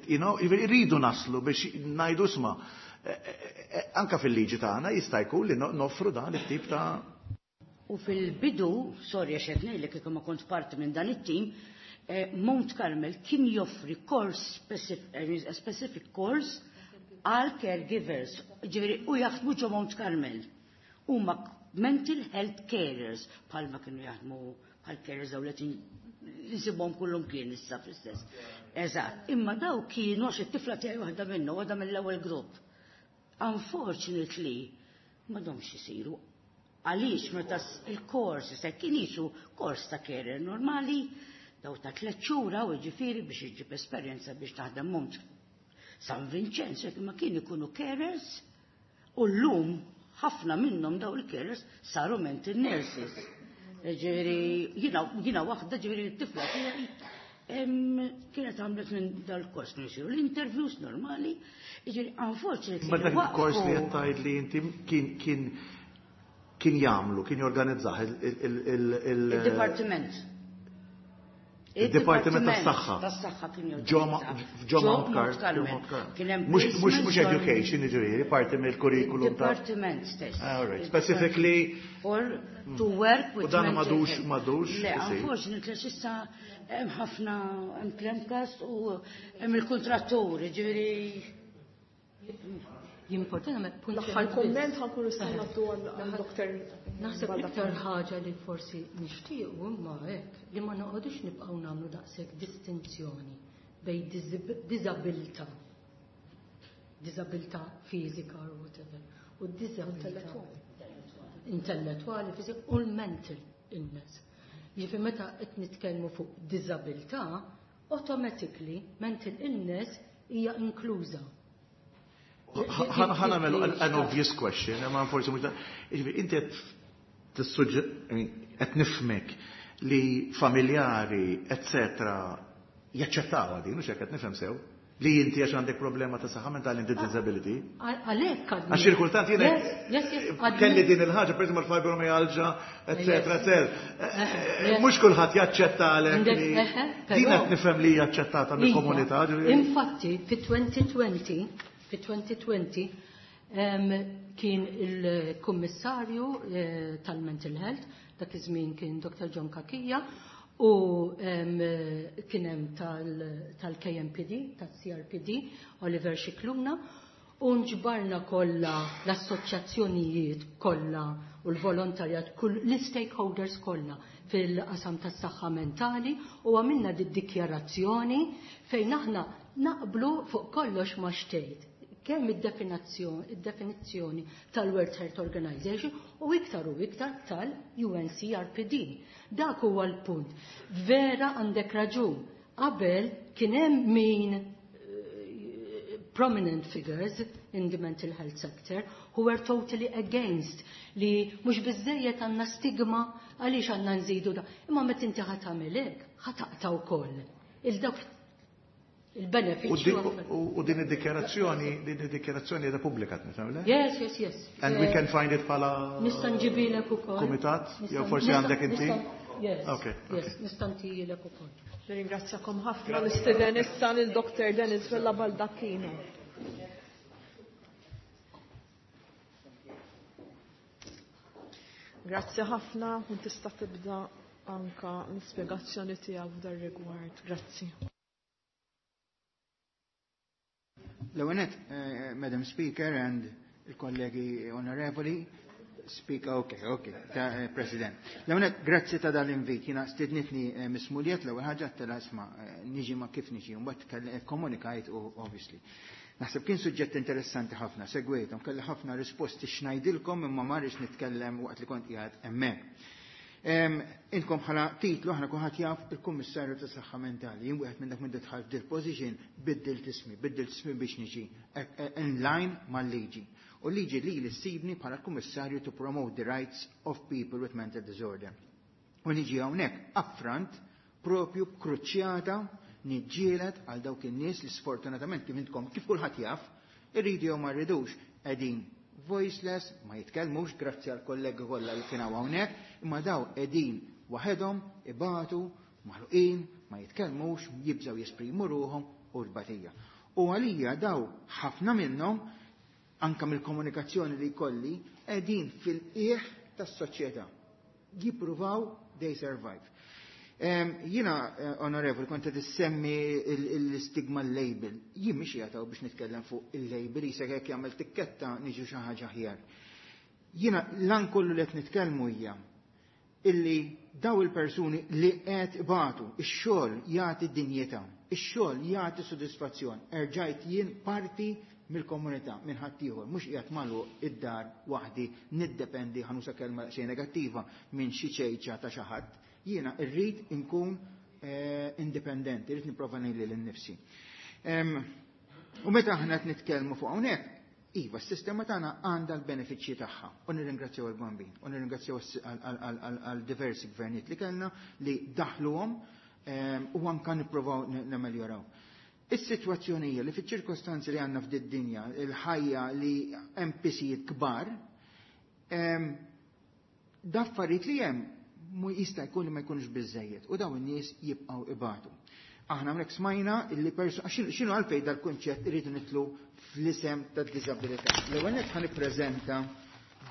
S3: You know, irridu naslu biex ngħidu isma', eh, eh, eh, anka fil-liġi tagħna jista' jkun li noffru dan it-tip ta'
S8: U fil-bidu, sorry għax qed ngħidlek kieku ma kont parti minn dan it-tim, Mount Carmel kien joffri course specific, specific course għal caregivers, ġifieri u jaħdmu ġo Mount Carmel. Huma mental health carers bħalma kienu jaħdmu bħal carers daw li nsibhom kullum kien issa fl-istess. Eżatt, imma daw kienu għax it-tifla tiegħi waħda minnu, waħda mill-ewwel grupp. Unfortunately, m'għadhomx isiru. Għaliex meta il-kors se kien jisu kors ta' carer normali, daw ta' tliet xhur u ġifieri biex iġib esperjenza biex taħdem Mount San Vincenzo, ma kien ikunu carers u llum ħafna minnhom daw il-carers saru mental nurses. Ġifieri, jiena waħda, ġifieri t-tifla tiegħi kienet għamlet minn dal-kors kienu jsiru l-interviews normali, ġifieri unfortunately.
S3: Ma dak il-kors li qed tgħid li inti kien kien kien jagħmlu, kien jorganizzah
S8: il-Dipartiment.
S3: Il-Dipartiment tas-Saħħa.
S8: Tas-Saħħa kien
S3: Ġo Mount Carmel. Mhux education, ġifieri, parti mill-kurrikulum
S8: ta' Dipartiment stess.
S3: All right. Specifically
S8: for to work with
S3: U dan m'għadux m'għadux.
S8: Le, unfortunately issa hemm ħafna, hemm l-M CAST u hemm il-kontratturi, ġifieri.
S4: Jimportana me punt.
S1: L-aħħar komment ħa nkunu ngħaddu għal-doktor.
S4: Naħseb l-iktar ħaġa li forsi nixtiequ imma hekk li ma noqogħdux nibqgħu nagħmlu daqshekk distinzjoni bejn diżabilità, diżabilità fiżika or whatever, u diżabilità intellettwali, fiżika u l-mental illness. Jiġifieri meta qed nitkellmu fuq diżabilità, automatically mental illness hija inkluża.
S3: Ħa nagħmel an obvious question, ma forsi mhux. Jiġifieri inti qed tissuġġe, qed nifhmek li familjari, eccetera, jaċċettaw din, mhux hekk qed nifhem sew? Li inti għax għandek problema ta' saħħa mentali inti disability.
S4: Għalhekk.
S3: Għax il-kultant jiena kelli din il-ħaġa, per eżempju l-fibromyalgia, eccetera, eccetera. Mhux kulħadd jaċċetta għalhekk li din qed nifhem li hija aċċettata mill-komunità.
S4: Infatti, fi elfejn u għoxrin, fi elfejn u għoxrin kien il-kummissarju eh, tal-Mental Health, dak iż-żmien kien Doktor John Cachia, u kien hemm tal-K M P D, tal-C R P D, Oliver Scicluna, u nġbarna kollha l-assoċjazzjonijiet kollha u l-volontarjat, kull l-stakeholders kollha fil-qasam tas-saħħa mentali u għamilna di dikjarazzjoni fejn aħna naqblu fuq kollox ma xtejt kemm id-definizzjoni tal-World Health Organization u iktar u iktar tal-U N C R P D. Dak huwa l-punt. Vera għandek raġun. Qabel kien hemm min eh, prominent figures in the mental health sector who were totally against li mhux biżejjed għandna stigma, għaliex għandna nżidu da. Imma meta inti ħa tagħmel hekk, ħa taqta' wkoll. Il-dawk il-benefiċċju.
S3: U din id-dikjarazzjoni, din id-dikjarazzjoni hija pubblika, nifhem, le?
S4: Yes, yes, yes.
S3: And we can find it bħala
S4: Nista' nġibilek ukoll.
S3: Kumitat? Jew forsi għandek inti?
S6: Yes.
S3: Okay.
S6: Yes, nista' ntihilek ukoll.
S1: Nirringrazzjakom ħafna. Nistieden issa lil Doctor Dennis Vella Baldacchino. Grazzi ħafna u tista' tibda anka l-ispjegazzjoni tiegħek f'dar rigward. Grazzi.
S12: L-ewwel nett, Madam Speaker and il-kollegi onorevoli, Speaker, ok, ok, ta, eh, President. L-ewwel nett, grazzi ta' dal-invit. Jiena stidnitni eh, Miss Muliet, l-ewwel ħaġa tela isma' eh, niġi ma kif niġi, mbagħad komunikajt u obviously. Naħseb kien suġġett interessanti ħafna, segwejthom, kelli ħafna risposti x'ngħidilkom imma ma rridx nitkellem waqt li kont qiegħed hemmhekk. Inkom bħala titlu aħna kulħadd jaf il-Kummissarju ta' Saħħa Mentali. Jien wieħed minn dak minn dħalt f'dil position biddilt ismi, biddilt ismi biex niġi in line mal-liġi. U liġi li li ssibni bħala l-Kummissarju to promote the rights of people with mental disorder. U niġi hawnhekk upfront propju kruċjata niġġieled għal dawk in-nies li sfortunatament kif intkom kif kulħadd jaf, irridu jew ma rridux qegħdin voiceless, ma jitkellmux, grazzi għal kollegi kollha li kienu hawnhekk, imma daw qegħdin waħedhom, ibatu, maħluqin, ma jitkellmux, jibżgħu jesprimu ruħhom u l-batija. U għalija daw ħafna minnhom anka mill-komunikazzjoni li jkolli qegħdin fil-qiegħ tas-soċjetà. Jippruvaw they survive. Jiena, onorevoli, kont qed issemmi l-istigma label. Jien mhix jagħtaw biex nitkellem fuq il-label, jisek jekk jagħmel tikketta niġu xi ħaġa aħjar. Jiena lan kollu li qed nitkellmu hija illi daw il-persuni li qed ibatu, ix-xogħol jagħti dinjità, ix-xogħol jagħti sodisfazzjon. Erġajt jien parti mill-komunità, minn ħaddieħor, mhux qiegħed magħluq id-dar waħdi niddependi, ħa nuża kelma xejn negattiva, minn xi ċejċa ta' xi ħadd. Jiena rrid inkun eh, indipendenti, irrid nipprova ngħid lil innifsi. U meta aħna qed nitkellmu fuq hawnhekk, iva, s-sistema tagħna għandha l-benefiċċji tagħha. U nirringrazzjaw il-Bambin, u nirringrazzjaw għal diversi gvernijiet li kellna li daħluhom u anka nippruvaw nameljoraw. Is-sitwazzjoni hija li fiċ-ċirkostanzi li għandna f'did dinja, il-ħajja li hemm pisijiet kbar, daffariet li hemm mu jista' jkun li ma jkunx biżejjed u dawn in-nies jibqgħu ibatu. Aħna hawnhekk smajna illi persu x'inhu għalfejn dal-kunċett irridu nitlu fl-isem tad-diżabilità. L-ewwel nett ħa nippreżenta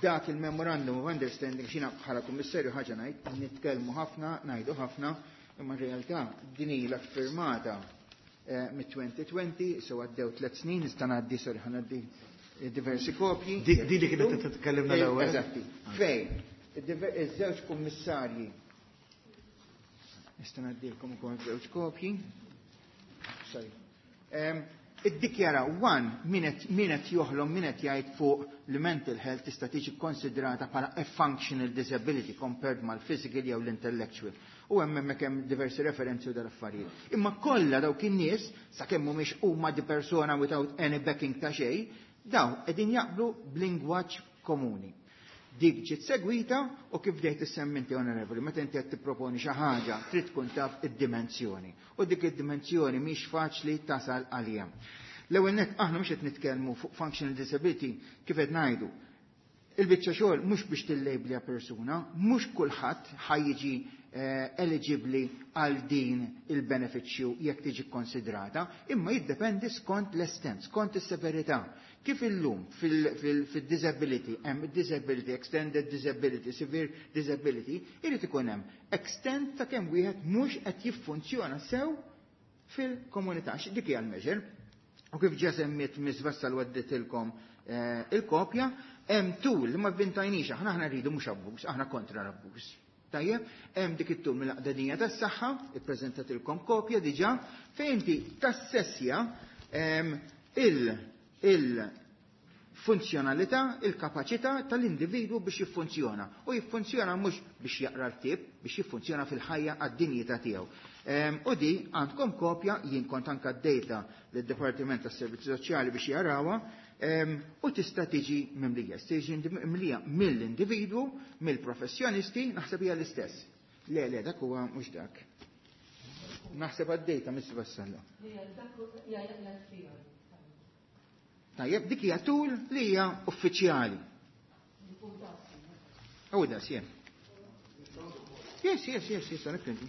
S12: dak il-memorandum of understanding x'ina bħala kummissarju ħaġa ngħid, nitkellmu ħafna, ngħidu ħafna, imma r-realtà din ilha firmata mit-twenty twenty, so għaddew tliet snin, nista' ngħaddi, sorry, ħa ngħaddi diversi kopji.
S3: Di li kienet titkellimna l-ewwel.
S12: Eżatti. Fejn iż-żewġ kummissarji nista' ngħaddilkom ukoll żewġ kopji. Sorry. Iddikjara one min qed joħlom, min qed jgħid fuq li mental health tista' tiġi konsidrata bħala a functional disability compared mal-physical jew l-intellectual. U hemm hemmhekk hemm diversi referenzi u dal-affarijiet. Imma kollha dawk in-nies, sakemm mhumiex huma di persona without any backing ta' xejn, daw qegħdin jaqblu b'lingwaġġ komuni. Dik ġiet segwita u kif bdejt issemmi inti onorevoli, meta inti qed tipproponi xi ħaġa trid tkun taf id-dimensjoni. U dik id-dimensjoni mhix faċli tasal għaliha. L-ewwel nett aħna mhux qed nitkellmu fuq functional disability kif qed ngħidu. Il-biċċa xogħol mhux biex tillejblja persuna, mhux kulħadd ħajjiġi eligibbli għal din il-benefiċċju jekk tiġi konsidrata, imma jiddependi skont l-estent, skont is-severità. Kif illum fil-disability, hemm disability, extended disability, severe disability, irid ikun hemm extent ta' kemm wieħed mhux qed jiffunzjona sew fil-komunità. Dik hija l-measure. U kif ġa semmiet Miss Vassal wedditilkom il-kopja, hemm tool li ma vvintajniex, aħna aħna rridu mhux abbuż, aħna kontra l-abbuż. Tajjeb, hemm dik it-tul mill-Aqda tas-Saħħa, ippreżentatilkom kopja diġà, fejn inti tassessja il-funzjonalità, il-kapaċità tal-individwu biex jiffunzjona. U jiffunzjona mhux biex jaqra l-ktieb, biex jiffunzjona fil-ħajja għad-dinjità tiegħu. U di għandkom kopja, jien kont anke d-data lid-Dipartiment tas-Servizzi Soċjali biex jarawha, u tista' tiġi mimlija. Tiġi mimlija mill-individwu, mill-professjonisti, naħseb hija l-istess. Le, le, dak huwa mhux dak. Naħseb għad-data Miss Vassalla. Tajjeb, dik hija tul li hija uffiċjali. U das, jem. Yes, yes, yes, yes, għalhekk inti.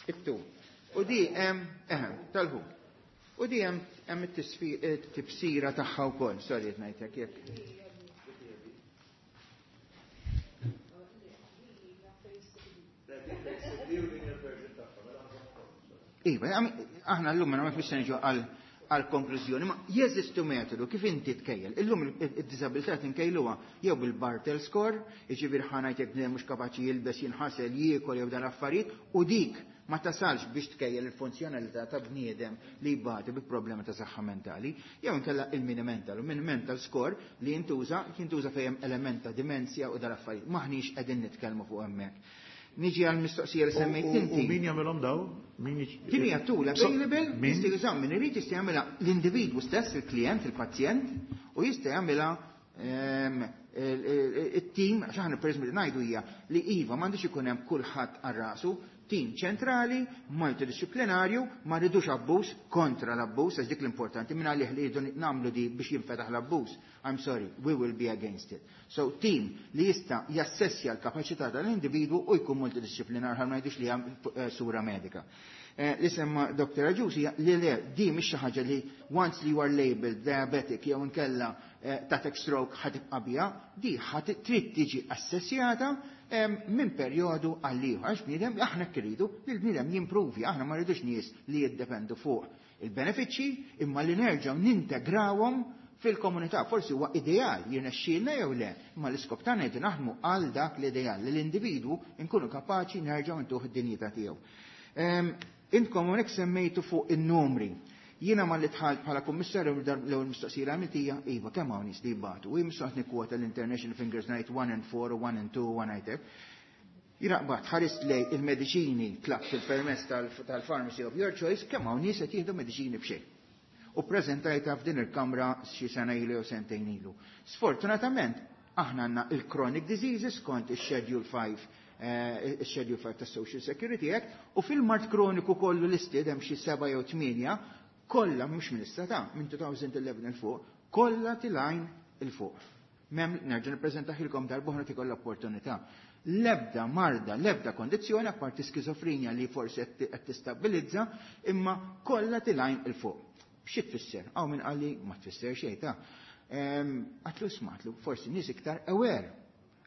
S12: It-tul. U di hemm eħem tal-ħu. U di hemm hemm it-tifsira tagħha wkoll, sorry qed ngħidlek jekk. Iva, aħna llum ma nafx niġu għal għal konklużjoni, ma jeżistu metodu kif inti tkejjel. Illum id-diżabilità tinkejluha jew bil-Bartel score, jiġifieri ħa ngħid jekk bniedem mhux kapaċi jilbes, jinħasel, jiekol jew dan affarijiet, u dik ma tasalx biex tkejjel il-funzjonalità ta' bniedem li jbati bi problema ta' saħħa mentali, jew inkella il-mini mental. U mini mental score li jintuża, jintuża fejn element ta' dimensja u dan affarijiet. Maħniex qegħdin nitkellmu fuq hemmhekk. Niġi għal mistoqsija li semmejt inti.
S3: U min jagħmilhom daw? Min
S12: Din hija tool available, jista' jużaw min irid, jista' jagħmilha l-individwu stess, il-klient, il-pazjent, u jista' jagħmilha it-tim, għax aħna pereżempju ngħidu hija li iva m'għandux ikun hemm kulħadd għal rasu, tim ċentrali, multidisciplinarju, ma rridux abbuż, kontra l-abbuż, għax dik l-importanti, minn għalih li rridu nagħmlu di biex jinfetaħ l-abbuż. I'm sorry, we will be against it. So team li jista' jassessja l-kapaċità tal-individwu u jkun multidisciplinar, ħa ma ngħidux li hemm sura medika. Li semma Doktor Agius hija li le, di mhix xi ħaġa li once li you are labeled diabetic jew inkella tatek stroke ħa tibqa' biha, di ħa trid tiġi assessjata minn perjodu għal ieħor, għax bniedem aħna rridu li l-bniedem jimpruvi, aħna ma rridux nies li jiddependu fuq il-benefiċċji imma li nerġgħu nintegrawhom fil-komunità. Forsi huwa ideal jirnexxielna jew le, imma l-iskop tagħna qed naħdmu għal dak l-ideal li l-individwu nkunu kapaċi nerġgħu ntuh id-dinjità tiegħu. Intkom hawnhekk semmejtu fuq in-numri. Jiena ma li dħalt bħala kummissarju l-ewwel mistoqsija li għamilt hija iva kemm hawn nies li jbatu. U jien mistoqs nikkwota l-International Fingers ngħid one and four u one and two u one ngħidlek. Jiena qbad ħarist lej il-mediċini tlabt il-permess tal-pharmacy of your choice kemm hawn nies qed jieħdu mediċini b'xejn. U preżentajta f'din il-kamra xi sena ilu jew sentejn ilu. Sfortunatament aħna għandna il-chronic diseases kont ix-Schedule five, il-Schedule five tas Social Security Act, u fil-mard kroniku kollu listed hemm xi seba' jew tmienja, kollha mhux minn issa ta' minn two thousand eleven il fuq, kollha tilgħin il fuq. Mem nerġa' nippreżentaħilkom darb'oħra tikoll l-opportunità. L-ebda marda, l-ebda kondizzjoni apparti skizofrenja li forsi qed tistabbilizza, imma kollha tilgħin il fuq. Xi tfisser? Hawn min qalli ma tfisser xejn ta'. Għatlu smatlu, forsi nies iktar aware.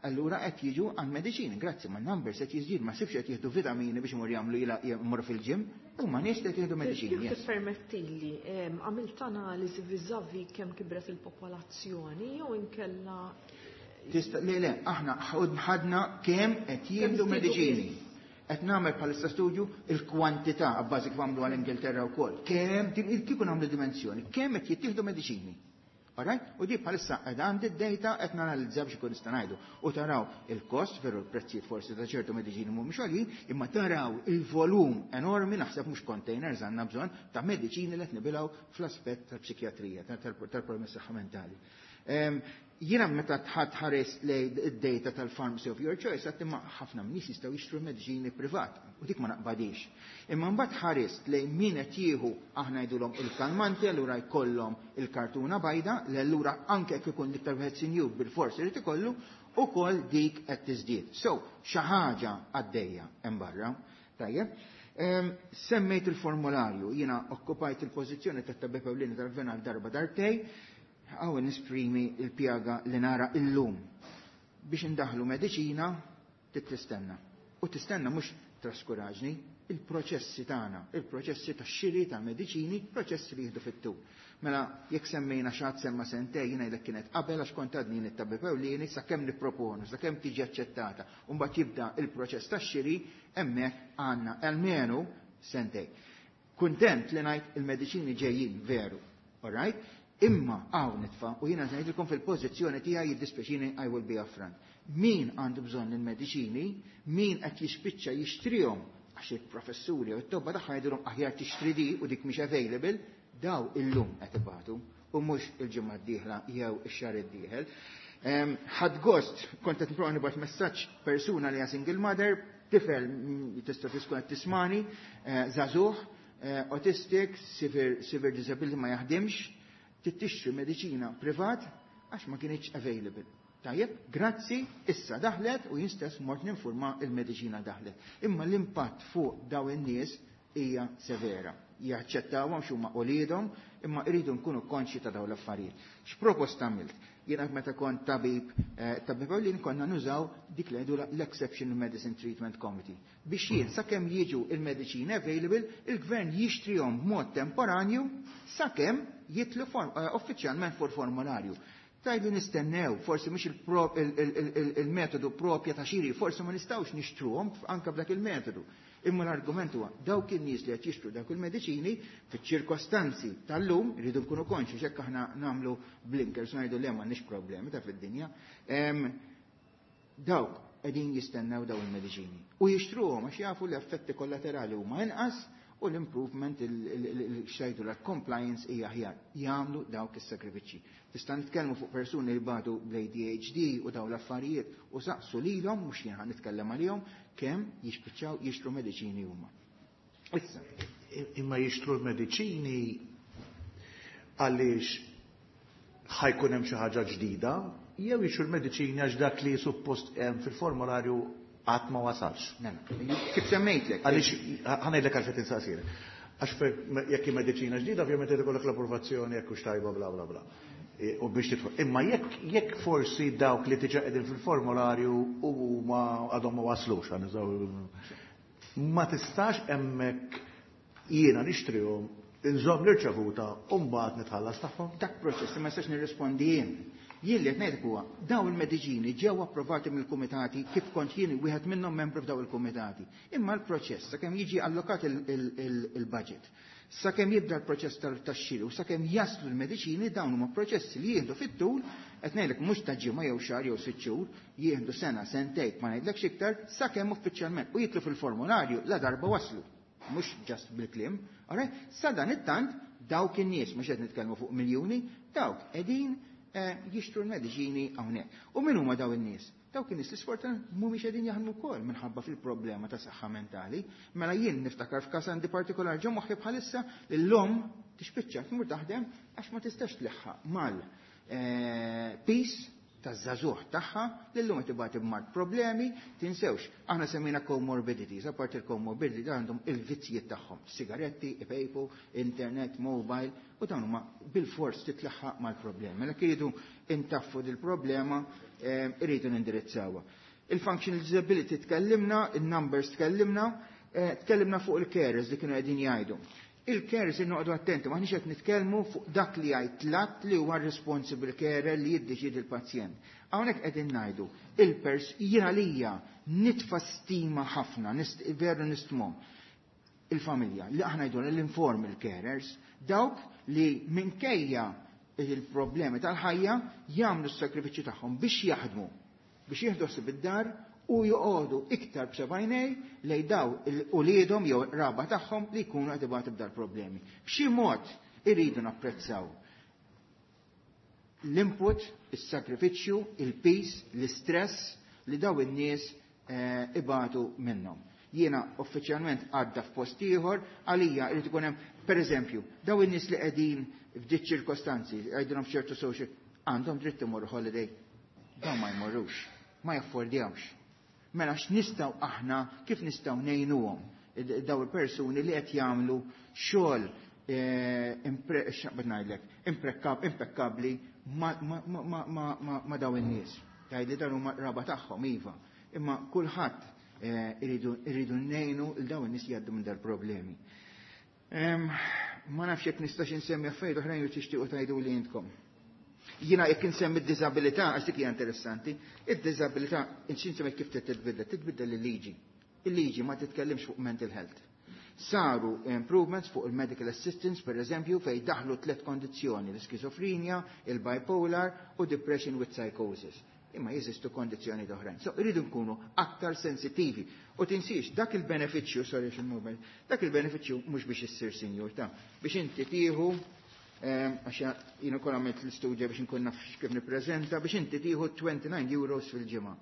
S12: Allura qed jiġu għal mediċini, grazzi ma' numbers qed jiżdied, ma sibx qed jieħdu vitamini biex imur jagħmlu jila jmur fil-ġim, huma nies qed jieħdu mediċini.
S1: Jekk tippermettili, għamilt analiżi viżavi kemm kibret il-popolazzjoni jew inkella
S12: Tista' le, le, aħna ħadna kemm qed jieħdu mediċini. Qed nagħmel bħalissa studju il-kwantità abbażi kif għamlu għall-Ingilterra wkoll. Kemm kieku nagħmlu dimensjoni, kemm qed jittieħdu mediċini. Alright? U di bħalissa qed għandi d-data qed nanalizza biex ikun nista' ngħidu. U taraw il-kost, veru l-prezzijiet forsi ta' ċertu mediċini mhumiex għoljin, imma taraw il-volum enormi, naħseb mhux containers għandna bżonn ta' mediċini li qed nibilgħu fl-aspett tal-psikjatrija, tal-problemi saħħa mentali. Jiena meta tħadd ħares lej id-data tal-pharmacy of your choice, għad imma ħafna nies jistgħu jixtru mediċini privat, u dik ma naqbadix. Imma mbagħad ħares lej min qed jieħu, aħna ngħidulhom il-kalmanti, allura jkollhom il-kartuna bajda, li allura anke jekk ikun l-iktar wieħed sinjur bil-fors irid ikollu, ukoll dik qed tiżdied. So, xi ħaġa għaddejja hemm barra. Tajjeb. Semmejt il-formularju, jiena okkupajt il-pożizzjoni tat-tabib ewlieni tal-gvern għal darba darbtej, għaw nisprimi il-pjaga li nara illum. Biex indaħlu mediċina, tistenna. U tistenna mhux traskuraġni, il-proċessi tagħna, il-proċessi tax-xiri ta' mediċini, proċessi li jieħdu fit-tul. Mela, jekk semmejna xi ħadd semma sentej, jiena ngħidlek kienet qabel għax kont għadni nittabib ewlieni sakemm nipproponu, sakemm tiġi aċċettata, u mbagħad jibda il-proċess tax-xiri, hemmhekk għandna almenu sentej. Kuntent li ngħid il-mediċini ġejjin veru, all right? Imma hawn nitfa' u jiena ngħidilkom fil-pożizzjoni tiegħi jiddispjaċini I will be upfront. Min għandu bżonn il-mediċini, min qed jispiċċa jixtrihom għax il-professuri u t-tobba tagħha jgħidulhom aħjar tixtri di u dik mhix available, daw illum qed ibatu u mhux il-ġimgħa d-dieħla jew ix-xahar id-dieħel. Ħadd gost, kont qed nipprova nibgħat messaġġ persuna li hija single mother, tifel tista' tkun qed tismani, eh, żagħżugħ, eh, autistic, severe, severe disability ma jaħdimx, tixtri mediċina privat Għax ma kienx available. Tajjeb, grazzi, issa daħlet u jien stess mort ninfurma il-mediċina daħlet. Imma l-impatt fuq daw in-nies hija severa. Jaċċettawhom x'huma uliedhom, imma jridu nkunu konxi ta' dawn l-affarijiet. X'proposta għamilt? Jiena meta kont tabib, eh, tabib ewlien konna nużaw dik li jgħidu l-Exceptional Medicine Treatment Committee. Biex jien sakemm jiġu il-mediċini available, il-gvern jixtrihom b'mod temporanju sakemm jitlu eh, uffiċjalment fuq formularju. Tajdu nistennew, forsi mhux il-metodu propja ta' xiri, forsi ma nistgħux nixtruhom anke b'dak il-metodu. Imma l-argument huwa dawk in-nies li qed jixtru dawk il-mediċini fiċ-ċirkostanzi tal-lum irridu nkunu konxi x'hekk aħna nagħmlu blinkers ngħidu le m'għandniex problemi ta' fid-dinja. Dawk qegħdin jistennew daw il-mediċini u jixtruhom għax jafu l-effetti kollaterali huma inqas u l-improvement xajdu l-compliance hija aħjar. Jagħmlu dawk is-sakrifiċċji. Tista' nitkellmu fuq persuni li batu bl-A D H D u daw l-affarijiet u saqsu lilhom, mhux jien nitkellem għalihom, kemm jispiċċaw jixtru mediċini huma.
S3: Issa. Imma jixtru l-mediċini għaliex ħa jkun hemm xi ħaġa ġdida, jew jixtru l-mediċini għax dak li suppost hemm fil-formularju qatt ma wasalx?
S12: Kif semmejtlek?
S3: Għaliex ħa ngħidlek għalfejn insaqsirek. Għax jekk hi mediċina ġdida, ovvjament ikollok l-approvazzjoni jekk hux tajba, bla bla bla. E, u biex tidħol. Imma jekk jekk forsi dawk li diġà qegħdin fil-formularju u ma għadhom ma waslux, ma tistax hemmhekk jiena nixtrihom, inżomm l-irċevuta u mbagħad nitħallas tagħhom?
S12: Dak proċess li ma nistax nirrispondi jien. Jien li qed ngħidlek huwa daw il-mediċini ġew approvati mill-kumitati, kif kont jien wieħed minnhom membru f'daw il-kumitati. Imma l-proċess sakemm jiġi allokat il-budget, sakemm jibda l-proċess tax-xiri u sakemm jaslu l-mediċini, dawn huma proċessi li jieħdu fit-tul, qed ngħidlek mhux ta' ġimgħa jew xahar jew sitt xhur, jieħdu sena, sentejn, ma ngħidlekx iktar, sakemm uffiċjalment u jitlu fil-formularju la darba waslu. Mhux just bil-kliem, alright? Sa dan it-tant dawk in-nies, mhux qed nitkellmu fuq miljuni, dawk qegħdin eh, jixtru l-mediċini hawnhekk. U min huma daw in-nies? Dawk in-nies li sfortunatament mhumiex qegħdin jaħdmu wkoll minħabba fil-problema ta' saħħa mentali. Mela jien niftakar f'każ għandi partikolar ġo moħħi bħalissa li l-omm tispiċċa tmur taħdem għax ma tistax tleħħaq mal eh, piż taż-żagħżugħ tagħha li llum qed ibati b'mart problemi. Tinsewx, aħna semmejna comorbidities, apart il-comorbidity għandhom il-vizzjiet tagħhom, sigaretti, ipejpu, internet, mobile, u dawn huma bil-fors titlaħħaq mal-problemi. Mela iridu intaffu dil-problema, eh, irridu nindirizzawha. Il-functional disability tkellimna, il-numbers tkellimna, eh, tkellimna fuq il-carers li kienu qegħdin jgħidu. Il-carers noqogħdu attenti, m'aħniex qed nitkellmu fuq dak li jgħid l-att li huwa responsible carer li jiddeċiedi l-pazjent. Hawnhekk qegħdin ngħidu il-pers jien għalija nitfa' stima ħafna, veru nistmhom il-familja, li aħna ngħidu l-informal carers, dawk li minkejja il-problemi tal-ħajja jagħmlu s-sakrifiċċju tagħhom biex jaħdmu, biex jieħdu ħsieb id-dar u joqogħdu iktar b'seba' għajnejn lejn daw uliedhom jew raba tagħhom li jkunu qed ibatu b'dal problemi. B'xi mod irridu napprezzaw l-input, is-sakrifiċċju, il-piż, l-istress li daw in-nies eh, ibatu minnhom. Jiena uffiċjalment għadda f'post ieħor, għalija irid ikun hemm, pereżempju, daw in-nies li qegħdin f'diċ ċirkostanzi, għajdilhom ċertu social, għandhom dritt imorru holiday. Dawn ma jmorrux, ma jaffordjawx. Mela x'nistgħu aħna, kif nistgħu ngħinuhom daw il-persuni li qed jagħmlu xogħol eh, ngħidlek impekkabbli ma' daw in-nies? Tgħidli dan huma raba tagħhom, iva. Imma kulħadd eh, irridu ngħinu il daw in-nies li jgħaddu minn dal-problemi. Ma nafx jekk nistax insemmi affarijiet oħrajn jew tixtiequ tgħidu li intkom. Jiena jekk insemmi d-diżabilità, għax dik hija interessanti, id-diżabilità insemmi kif titbiddel, titbiddel il-liġi. Il-liġi ma titkellimx fuq mental health. Saru improvements fuq il-medical assistance, per eżempju, fej daħlu tlet kondizzjoni, l-skizofrenja, il-bipolar u depression with psychosis. Imma jeżistu kondizzjoni oħrajn. So, irridu nkunu aktar sensitivi. U tinsiex, dak il-benefiċċju, sorry il-mobile, dak il-benefiċċju mhux biex issir sinjur ta' biex inti tieħu, għax jien ukoll għamilt l-istudja biex nkun naf kif nippreżenta, biex inti tieħu twenty-nine euros fil-ġimgħa.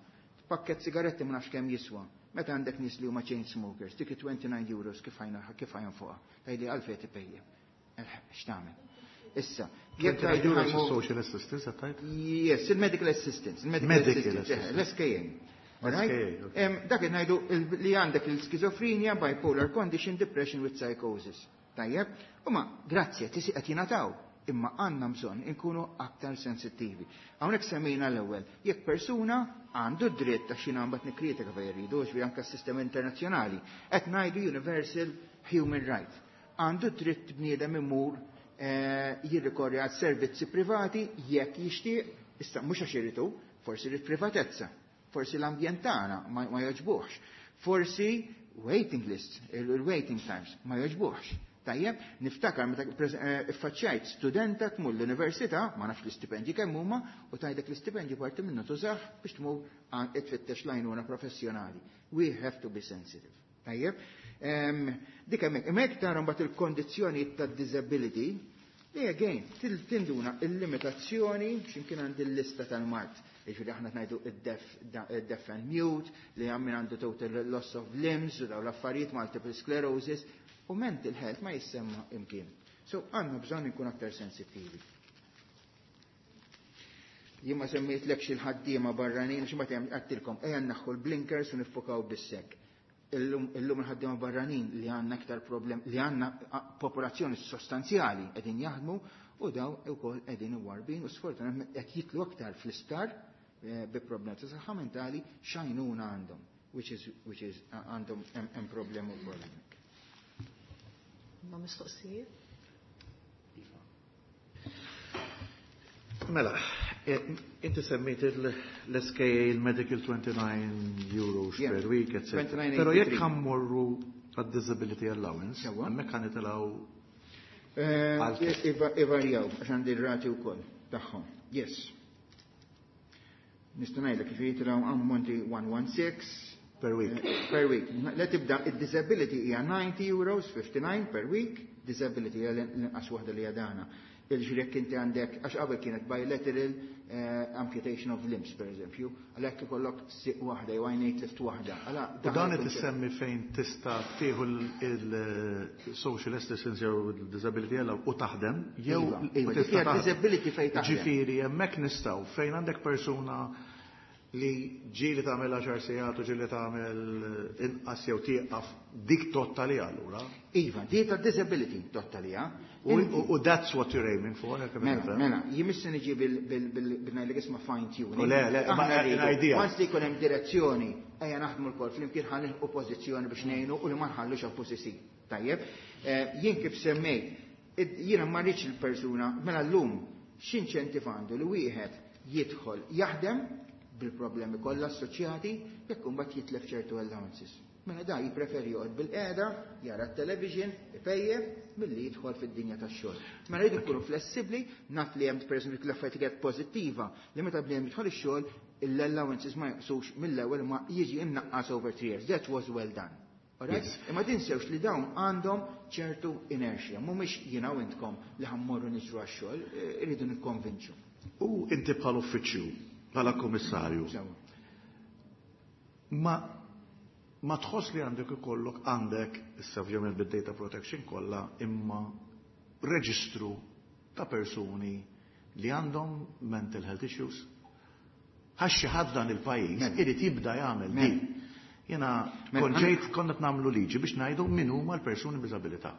S12: Pakket sigaretti ma nafx kemm jiswa. Meta għandek nies li huma chain smokers, dik twenty-nine euros kif ħajna kif ħajn fuqha? Tgħidli għalfejn tipejjep. Eh, x'tagħmel? Issa, jekk tgħidu
S3: social assistance qed
S12: Yes, il-medical assistance, il-medical assistance, l-S K A. Dak ngħidu li għandek il-schizophrenia, bipolar condition, depression with psychosis. Tajjeb, u ma grazzi tisi qed jingħataw, imma għandna bżonn inkunu aktar sensittivi. Hawnhekk semmejna l-ewwel, jekk persuna għandu dritt ta' xina mbagħad nikkritika fejn jridu, ġifieri anke s-sistema internazzjonali, qed ngħidu universal human right. Għandu dritt bniedem imur eh, jirrikorri għal servizzi privati jekk jixtieq, issa mhux għax iridu, forsi jrid privatezza, forsi l-ambjent tagħna ma, ma jogħġbuhx, forsi waiting lists, il-waiting times ma jogħġbuhx. Tajjeb, niftakar meta eh, iffaċċjajt studenta tmur l-università, ma nafx l-istipendji kemm huma, u tgħidlek l-istipendji parti minnu tużah biex tmur tfittex l-għajnuna professjonali. We have to be sensitive. Tajjeb, dik hemmhekk, hemmhekk tara mbagħad il-kondizzjoni tad-disability, li again, tinduna il-limitazzjoni, x'imkien għandi l-lista tal-mard. Jiġifieri aħna ngħidu id-deaf and mute, li għammin għandu total loss of limbs, u daw l-affarijiet, multiple sclerosis, u mental health ma jissemma imkien. So għandna bżonn nkun aktar sensittivi. Jien ma semmejtlekx il-ħaddiema barranin, xi ma għedtilkom, ejja naħħu l-blinkers u niffokaw bissek. Illum il-ħaddiema barranin li għandna aktar problem, li għandna popolazzjoni sostanzjali qegħdin jaħdmu u daw ukoll qegħdin iwarbin u sfortunatament qed jitlu aktar fl-isptar eh, bi problemi ta' saħħa mentali x'għajnuna għandhom, which is, which is għandhom hemm problemi wkoll hemmhekk.
S1: Ma mistoqsijiet?
S3: Mela, eh, inti semmejt l-S K A, il-Medical twenty-nine euros per week, et cetera. Pero jekk ħa mmorru għad-disability allowance, hemmhekk ħa nitilgħu
S12: eh, Ivarjaw, għax għandi r-rati wkoll tagħhom. Yes. Nista' ngħidlek kif jitilgħu ammonti one one six
S3: per week.
S12: Eh, per week. La tibda id-disability hija ninety euros fifty-nine per week, disability hija l-inqas waħda li għadana. Jiġifieri jekk inti għandek, għax qabel kienet bilateral eh, amputation of limbs, per eżempju, għalhekk ikollok siq waħda jew għajnejn tlift waħda.
S3: U dan qed issemmi fejn tista' tieħu il-social assistance jew il-disability u taħdem, jew
S12: iva, iva, disability fejn taħdem.
S3: Ġifieri hemmhekk nistgħu fejn għandek persuna li ġieli tagħmel għaxar sigħat u ġieli tagħmel inqas jew tieqaf, dik totali allura.
S12: Iva, di ta' disability totali,
S3: U that's what you're aiming for.
S12: Mela, mela, jimissa niġi bil-ngħidlek isma' fine tuning.
S3: Le, le, ma idea.
S12: Once li jkun hemm direzzjoni, ejja naħdmu lkoll flimkien ħa nilħqu pożizzjoni biex ngħinu u li ma nħallux oppożizzjoni. Tajjeb, eh, jien kif semmejt, jiena ma rridx il-persuna, mela llum x'inċentiv għandu li wieħed jidħol jaħdem bil-problemi kollha assoċjati jekk imbagħad jitlef ċertu allowances? Mela da jippreferi joqgħod bil-qiegħda, jara t-television, ipejjep, milli jidħol fid-dinja tax-xogħol. Mela jridu jkunu flessibbli, naf li hemm pereżempju l-affarijiet pożittiva li meta bniedem jidħol ix-xogħol, l-allowances ma jaqsux mill-ewwel ma jiġi imnaqqas over three years. That was well done. Alright? Imma tinsewx li dawn għandhom ċertu inertia, mhumiex jiena u intkom li ħa mmorru niġru għax-xogħol, eh, irridu nikkonvinċu.
S3: U inti bħal uffiċċju, bħala komissarju, ma ma tħoss li għandek ikollok għandek, issa ovvjament bid-data protection kollha, imma reġistru ta' persuni li għandhom mental health issues? Għax xi ħadd dan il-pajjiż
S12: Mela.
S3: irid jibda jagħmel
S12: Mela.
S3: din. Jena
S12: Mela,
S3: kont ġejt konna nagħmlu liġi biex ngħidu min huma l-persuni b'diżabilità.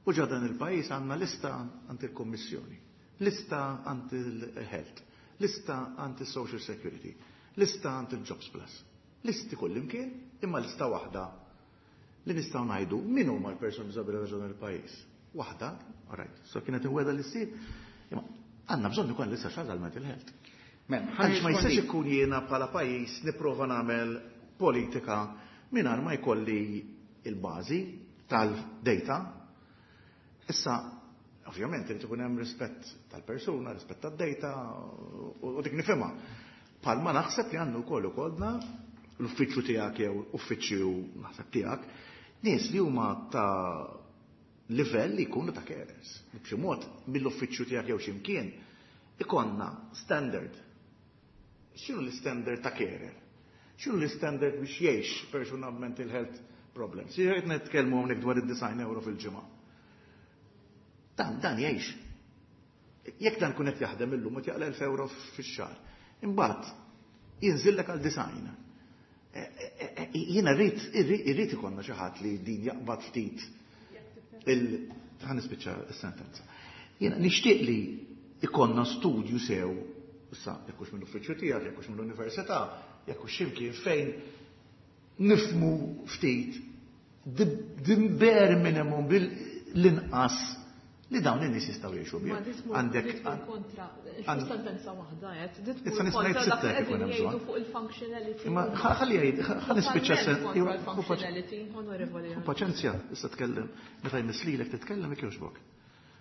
S3: U ġa dan il-pajjiż għandna lista għand il-Kommissjoni, lista għand il-Health, lista għand il-Social Security, lista għand il-Jobs Plus. Listi kullimkien, imma lista waħda li nistgħu ngħidu min huma l-persuni b'diżabilità ġo dan il-pajjiż. Waħda, alright, so kienet imweda li ssir, imma għandna bżonn ukoll lista xaġa għal mental health.
S12: Mela,
S3: Għaliex ma jistax ikun jiena bħala pajjiż nipprova nagħmel politika mingħajr ma jkolli il-bażi tal-data. Issa, ovvjament, irid ikun hemm rispett tal-persuna, rispett tad-data, u u dik nifhimha. Palma naħseb li għandu wkoll ukollna l-uffiċċju tiegħek jew uffiċċju naħseb tiegħek nies li huma ta' livell li jkunu ta' carers. B'xi mod mill-uffiċċju tiegħek jew x'imkien ikonna standard. X'inhu l-standard ta' carer? X'inhu l-standard biex jgħix persuna b'mental health problems? Jekk nitkellmu hawnhekk dwar id-disgħin euro fil-ġimgħa. Dan dan jgħix. Jekk dan kun qed jaħdem illum qed jaqla' elf euro fix-xahar. Imbagħad jinżillek għal disgħin. Jiena rrid irrid ikollna xi ħadd li din jaqbad ftit il ħa nispiċċa s-sentenza. Jiena nixtieq li ikollna studju sew, issa jekk hux mill-uffiċċju tiegħek, jekk hux mill-università, jekk hux x'imkien fejn nifhmu ftit the bare minimum bil-inqas li dawn in-nies jistgħu jgħixu bih.
S1: Għandek kontra, sentenza waħda qed, issa nista' ngħid sitta jekk ikun hemm bżonn. Fuq il-functionality.
S3: Imma ħalli jgħid, ħalli nispiċċa
S1: functionality, onorevoli.
S3: Paċenzja, issa tkellem, meta jmiss lilek titkellem jekk jogħġbok.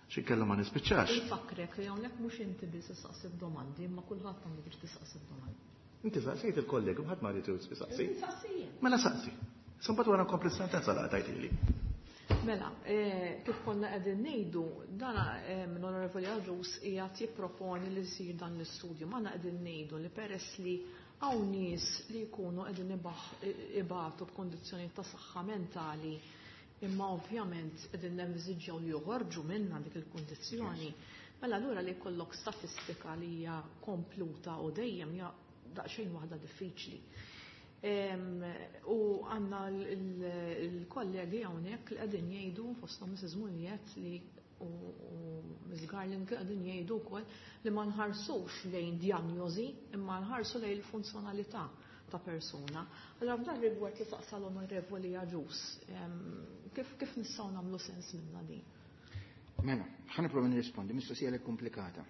S3: Xi kellem ma nispiċċax.
S1: Infakrek li hawnhekk mhux inti biss issaqsi domandi, imma kulħadd għandu biex tistaqsi domandi.
S3: Inti saqsejt il-kollegi, ħadd ma jrid jistaqsi. Mela saqsi. Mbagħad wara nkompli sentenza la tajtili.
S1: Mela, kif konna qegħdin ngħidu, dan l-Onorevoli Agius qiegħed jipproponi li jsir dan l-istudju. M'aħna qegħdin ngħidu li peress li hawn nies li jkunu qegħdin ibatu b'kondizzjoni ta' saħħa mentali, imma ovvjament qegħdin nenviżiġġjaw li joħorġu minna dik il-kundizzjoni. Mela allura li jkollok statistika li hija kompluta u dejjem hija daqsxejn waħda diffiċli. U għandna l-kollegi hawnhekk li qegħdin jgħidu fosthom Missus Muniet li u Miss Garland li qegħdin jgħidu wkoll li ma nħarsux lejn diagnosi imma nħarsu lejn il-funzjonalità ta' persuna. Allora f'dan rigward li saqsa l-Onorevoli Agius, kif kif nistgħu nagħmlu sens minna din?
S12: Mela, ħa nipprova nirrispondi, mistoqsija li komplikata.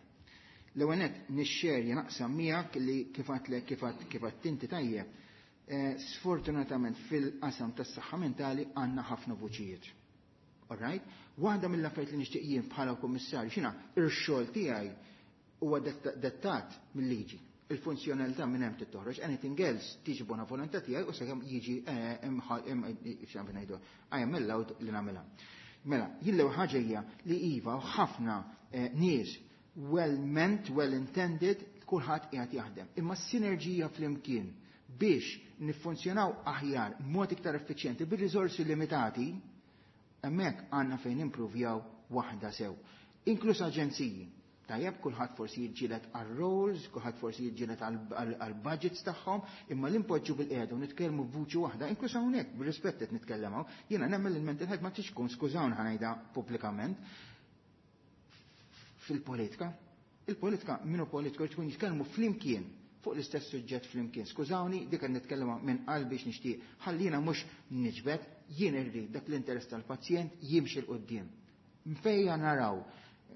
S12: L-ewwel nett nixxerja naqsam miegħek li kif għedtlek kif kif inti tajjeb. Sfortunatament fil-qasam tas-saħħa mentali għandna ħafna vuċijiet. All right? Waħda mill-affarijiet li nixtieq jien bħala kummissarju x'inha ir-xogħol tiegħi huwa dettat mill-liġi. Il-funzjonalità minn hemm tittoħroġ, anything else tiġi bona volontà tiegħi u sakemm jiġi ngħidu I am allowed li nagħmilha. Mela, jien l-ewwel ħaġa hija li iva ħafna nies well meant, well intended, kulħadd qiegħed jaħdem. Imma s-sinerġija flimkien biex niffunzjonaw aħjar mod iktar effiċjenti bir-riżorsi limitati, hemmhekk għandna fejn improvjaw waħda sew. Inkluż aġenziji. Tajjeb, kulħadd forsi jiġġieled għal-roles, kulħadd forsi jiġġieled għal-budgets tagħhom, imma l-impoġġu bil-qiegħda u nitkellmu b'vuċi waħda, inkluż hawnhekk bir-rispett qed nitkellem hawn, jiena nemmen il-mental health ma tix tkun, skużawni ħa ngħidha pubblikament, fil-politika. Il-politika minnu politiku tkun jitkellmu flimkien fuq l-istess suġġett flimkien. Skużawni, dik qed nitkellem minn qalbi nixtieq. Ħallina mhux niġbed, jien irrid dak l-interess tal-pazjent jimxi 'l quddiem. Fejja naraw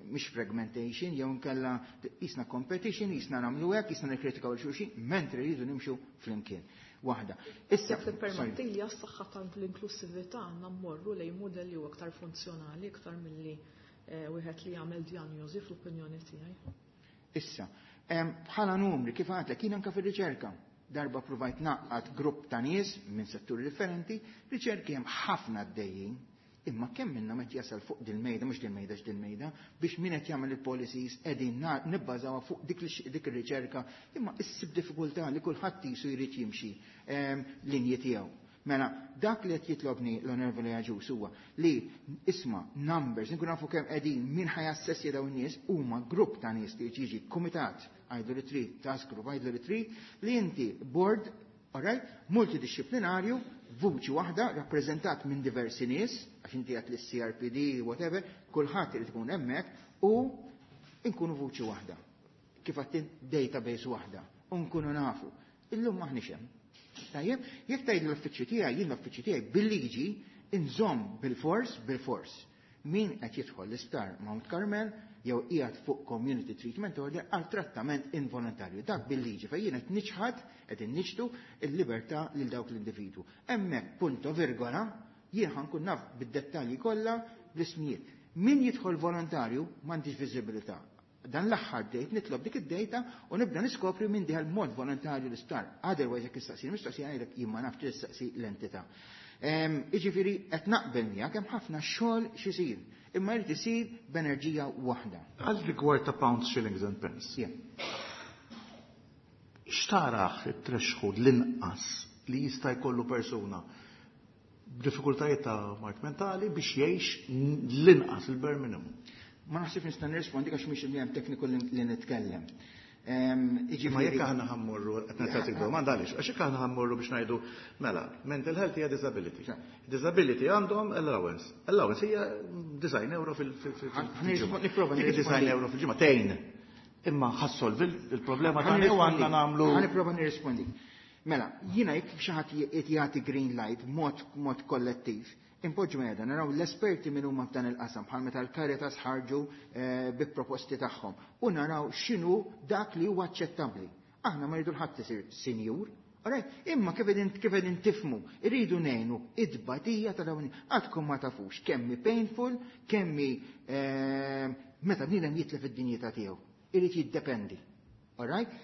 S12: mhix fragmentation jew nkella jisna competition, jisna nagħmlu hekk, jisna nikkritikaw lil xulxin, mentri rridu nimxu flimkien. Waħda.
S1: Issa permetti li għas-saħħa tal-inklusività għandna mmorru lejn mudelli u aktar funzjonali iktar milli wieħed li jagħmel diagnosi fl-opinjoni tiegħi.
S12: Issa, bħala numri kif għedtlek jien anke fir-riċerka. Darba provajt naqqat grupp ta' nies minn setturi differenti, riċerki hemm ħafna għaddejjin, imma kemm minnhom qed jasal fuq dil-mejda, mhux dil-mejda x'dil-mejda, biex min qed jagħmel il-policies qegħdin nibbażawha fuq dik dik ir-riċerka, imma issib diffikultà li kulħadd jisu jrid jimxi linji tiegħu. Mela, dak li qed jitlobni l-Onorevoli Agius huwa li isma' numbers, nkun nafu kemm qegħdin min ħa jassessja dawn in-nies huma grupp ta' nies li jiġi kumitat, għidlu li trid, task group, għidlu li trid, li inti board, alright, multidisciplinarju, vuċi waħda, rappreżentat minn diversi nies, għax inti għat l-C R P D, whatever, kulħadd irid ikun hemmhekk, u nkunu vuċi waħda. Kif għattin database waħda, u nkunu nafu. Illum maħniex hemm. Tajjeb, jekk tgħid l-uffiċċju tiegħi, jien l-uffiċċju tiegħi bil-liġi inżomm bil-fors, bil-fors. Min qed jidħol l-isptar Mount Carmel jew qiegħed fuq community treatment order għal trattament involontarju. Dak bil-liġi fejn jien qed niċħad, qed inniċtu l-libertà lil dawk l-individwu. Hemmhekk punto virgola, jien ħa nkun naf bid-dettalji kollha bl-ismijiet. Min jidħol volontarju m'għandix viżibilità. Dan l-aħħar dejt nitlob dik id-dejta u nibda niskopri minn diħal mod volontarju l-isptar. Otherwise jekk issaqsi mistoqsija ngħidlek jien ma nafx tistaqsi l-entità. Jiġifieri qed naqbel miegħek hemm ħafna xogħol x'isir, imma jrid isir b'enerġija waħda.
S3: Għal rigward ta' pounds, shillings and pence. X'taraħ it-threshold l-inqas li jista' jkollu persuna b'diffikultajiet ta' mard mentali biex jgħix l-inqas il-bare minimum?
S12: Ma naħsibx nista' nirrispondi għax mhix il tekniku li nitkellem.
S3: Ma jekk aħna ħa mmorru, qed nagħtik domanda għaliex, għax jekk aħna ħa mmorru biex ngħidu mela, mental health hija disability. Disability għandhom allowance. Allowance hija disgħin euro fil-ġimgħa. Disgħin euro fil-ġimgħa tgħin. Imma ħa ssolvi il-problema tagħna u għandna nagħmlu.
S12: Ħa nipprova nirrispondi. Mela, jiena jekk xi ħadd jagħti green light mod mod kollettiv, impoġġu meda, naraw l-esperti minn huma f'dan il-qasam, bħal meta l-Caritas ħarġu eh, bi proposti tagħhom, u naraw x'inhu dak li huwa aċċettabbli. Aħna ma rridu ħadd isir sinjur, alright? Imma kif qegħdin kif qegħdin tifhmu, irridu ngħinu id-batija ta' dawn għadkom ma tafux kemm hi painful, kemm hi eh, meta bniedem jitlef id-dinjità tiegħu. Irid jiddependi. Alright?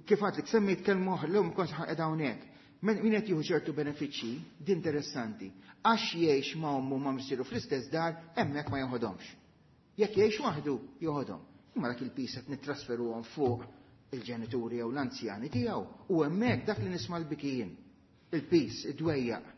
S12: Kif għedtlek, semmejt kelma oħra, l-lum kont qiegħda hawnhekk. Min qed jieħu ċertu benefiċċji, di interessanti. Għax jgħix ma' ommu ma' missieru fl-istess dar, hemmhekk ma joħodhomx. Jekk jgħix waħdu, joħodhom. Imma dak il-piż qed nittrasferuhom fuq il-ġenituri jew l-anzjani tiegħu. U hemmhekk dak li nisma' l-bikijin, il-piż, id-dwejjaq.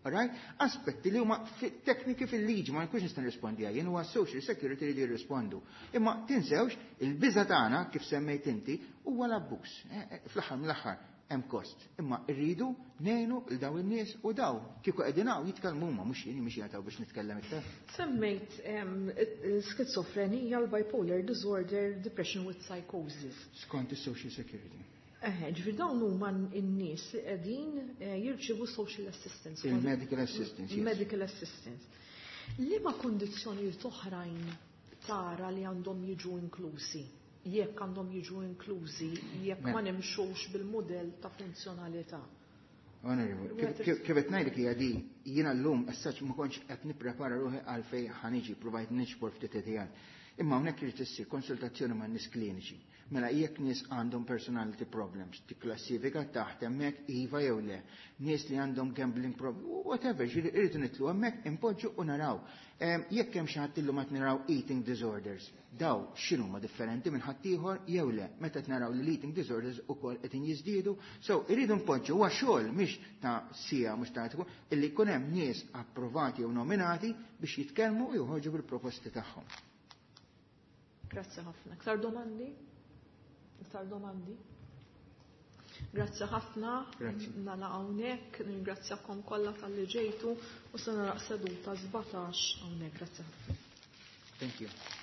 S12: Alright? Aspetti li huma tekniki fil-liġi ma nkunx nista' nirrispondi jien huwa social security li jirrispondu. Imma tinsewx il-biża tagħna kif semmejt inti huwa l-abbuż. Eh, eh, fl-aħħar mill-aħħar hemm kost. Imma rridu ngħinu l daw in-nies u daw kieku qegħdin hawn jitkellmu huma mhux jien mhux jagħtaw biex nitkellem iktar.
S1: Semmejt l-skizofrenija, l-bipolar disorder, depression with psychosis.
S12: Skont is-social security.
S1: Eħe, ġifieri dawn huma n-nies li qegħdin eh, jirċievu social assistance.
S12: Il-medical assistance, yes.
S1: Medical assistance. Liema kondizzjonijiet oħrajn tara li għandhom jiġu inklużi? Jekk għandhom jiġu inklużi, jekk ma
S12: Mela.
S1: nimxux bil-modell ta' funzjonalità.
S12: Onorevoli, kif kif qed ngħidlek hija di, jiena llum as-saċ ma kontx qed nipprepara ruħi għal fejn ħa niġi provajt niġbor ftit idejat. Imma hawnhekk irid issir konsultazzjoni ma' nies kliniċi. Mela jekk nies għandhom personality problems, tikklassifika taħt hemmhekk iva jew le. Nies li għandhom gambling problems, whatever, ġifieri irridu nidħlu hemmhekk impoġġu u naraw. Em, Jekk hemm xi ħadd illum qed naraw eating disorders, daw x'inhuma differenti minn ħaddieħor jew le, meta qed naraw li l-eating disorders ukoll qed jiżdiedu. So irridu npoġġu huwa xogħol mhix ta' sija mhux ta' tkun illi jkun hemm nies approvati jew nominati biex jitkellmu u joħorġu bil-proposti tagħhom.
S1: Grazzi ħafna. Iktar domandi? Iktar domandi? Grazzi ħafna.
S12: Grazzi.
S1: Nagħlaq hawnhekk, ningrazzjakom kollha talli ġejtu u se nagħlaq seduta sbatax hawnhekk. Grazzi ħafna.
S12: Thank you.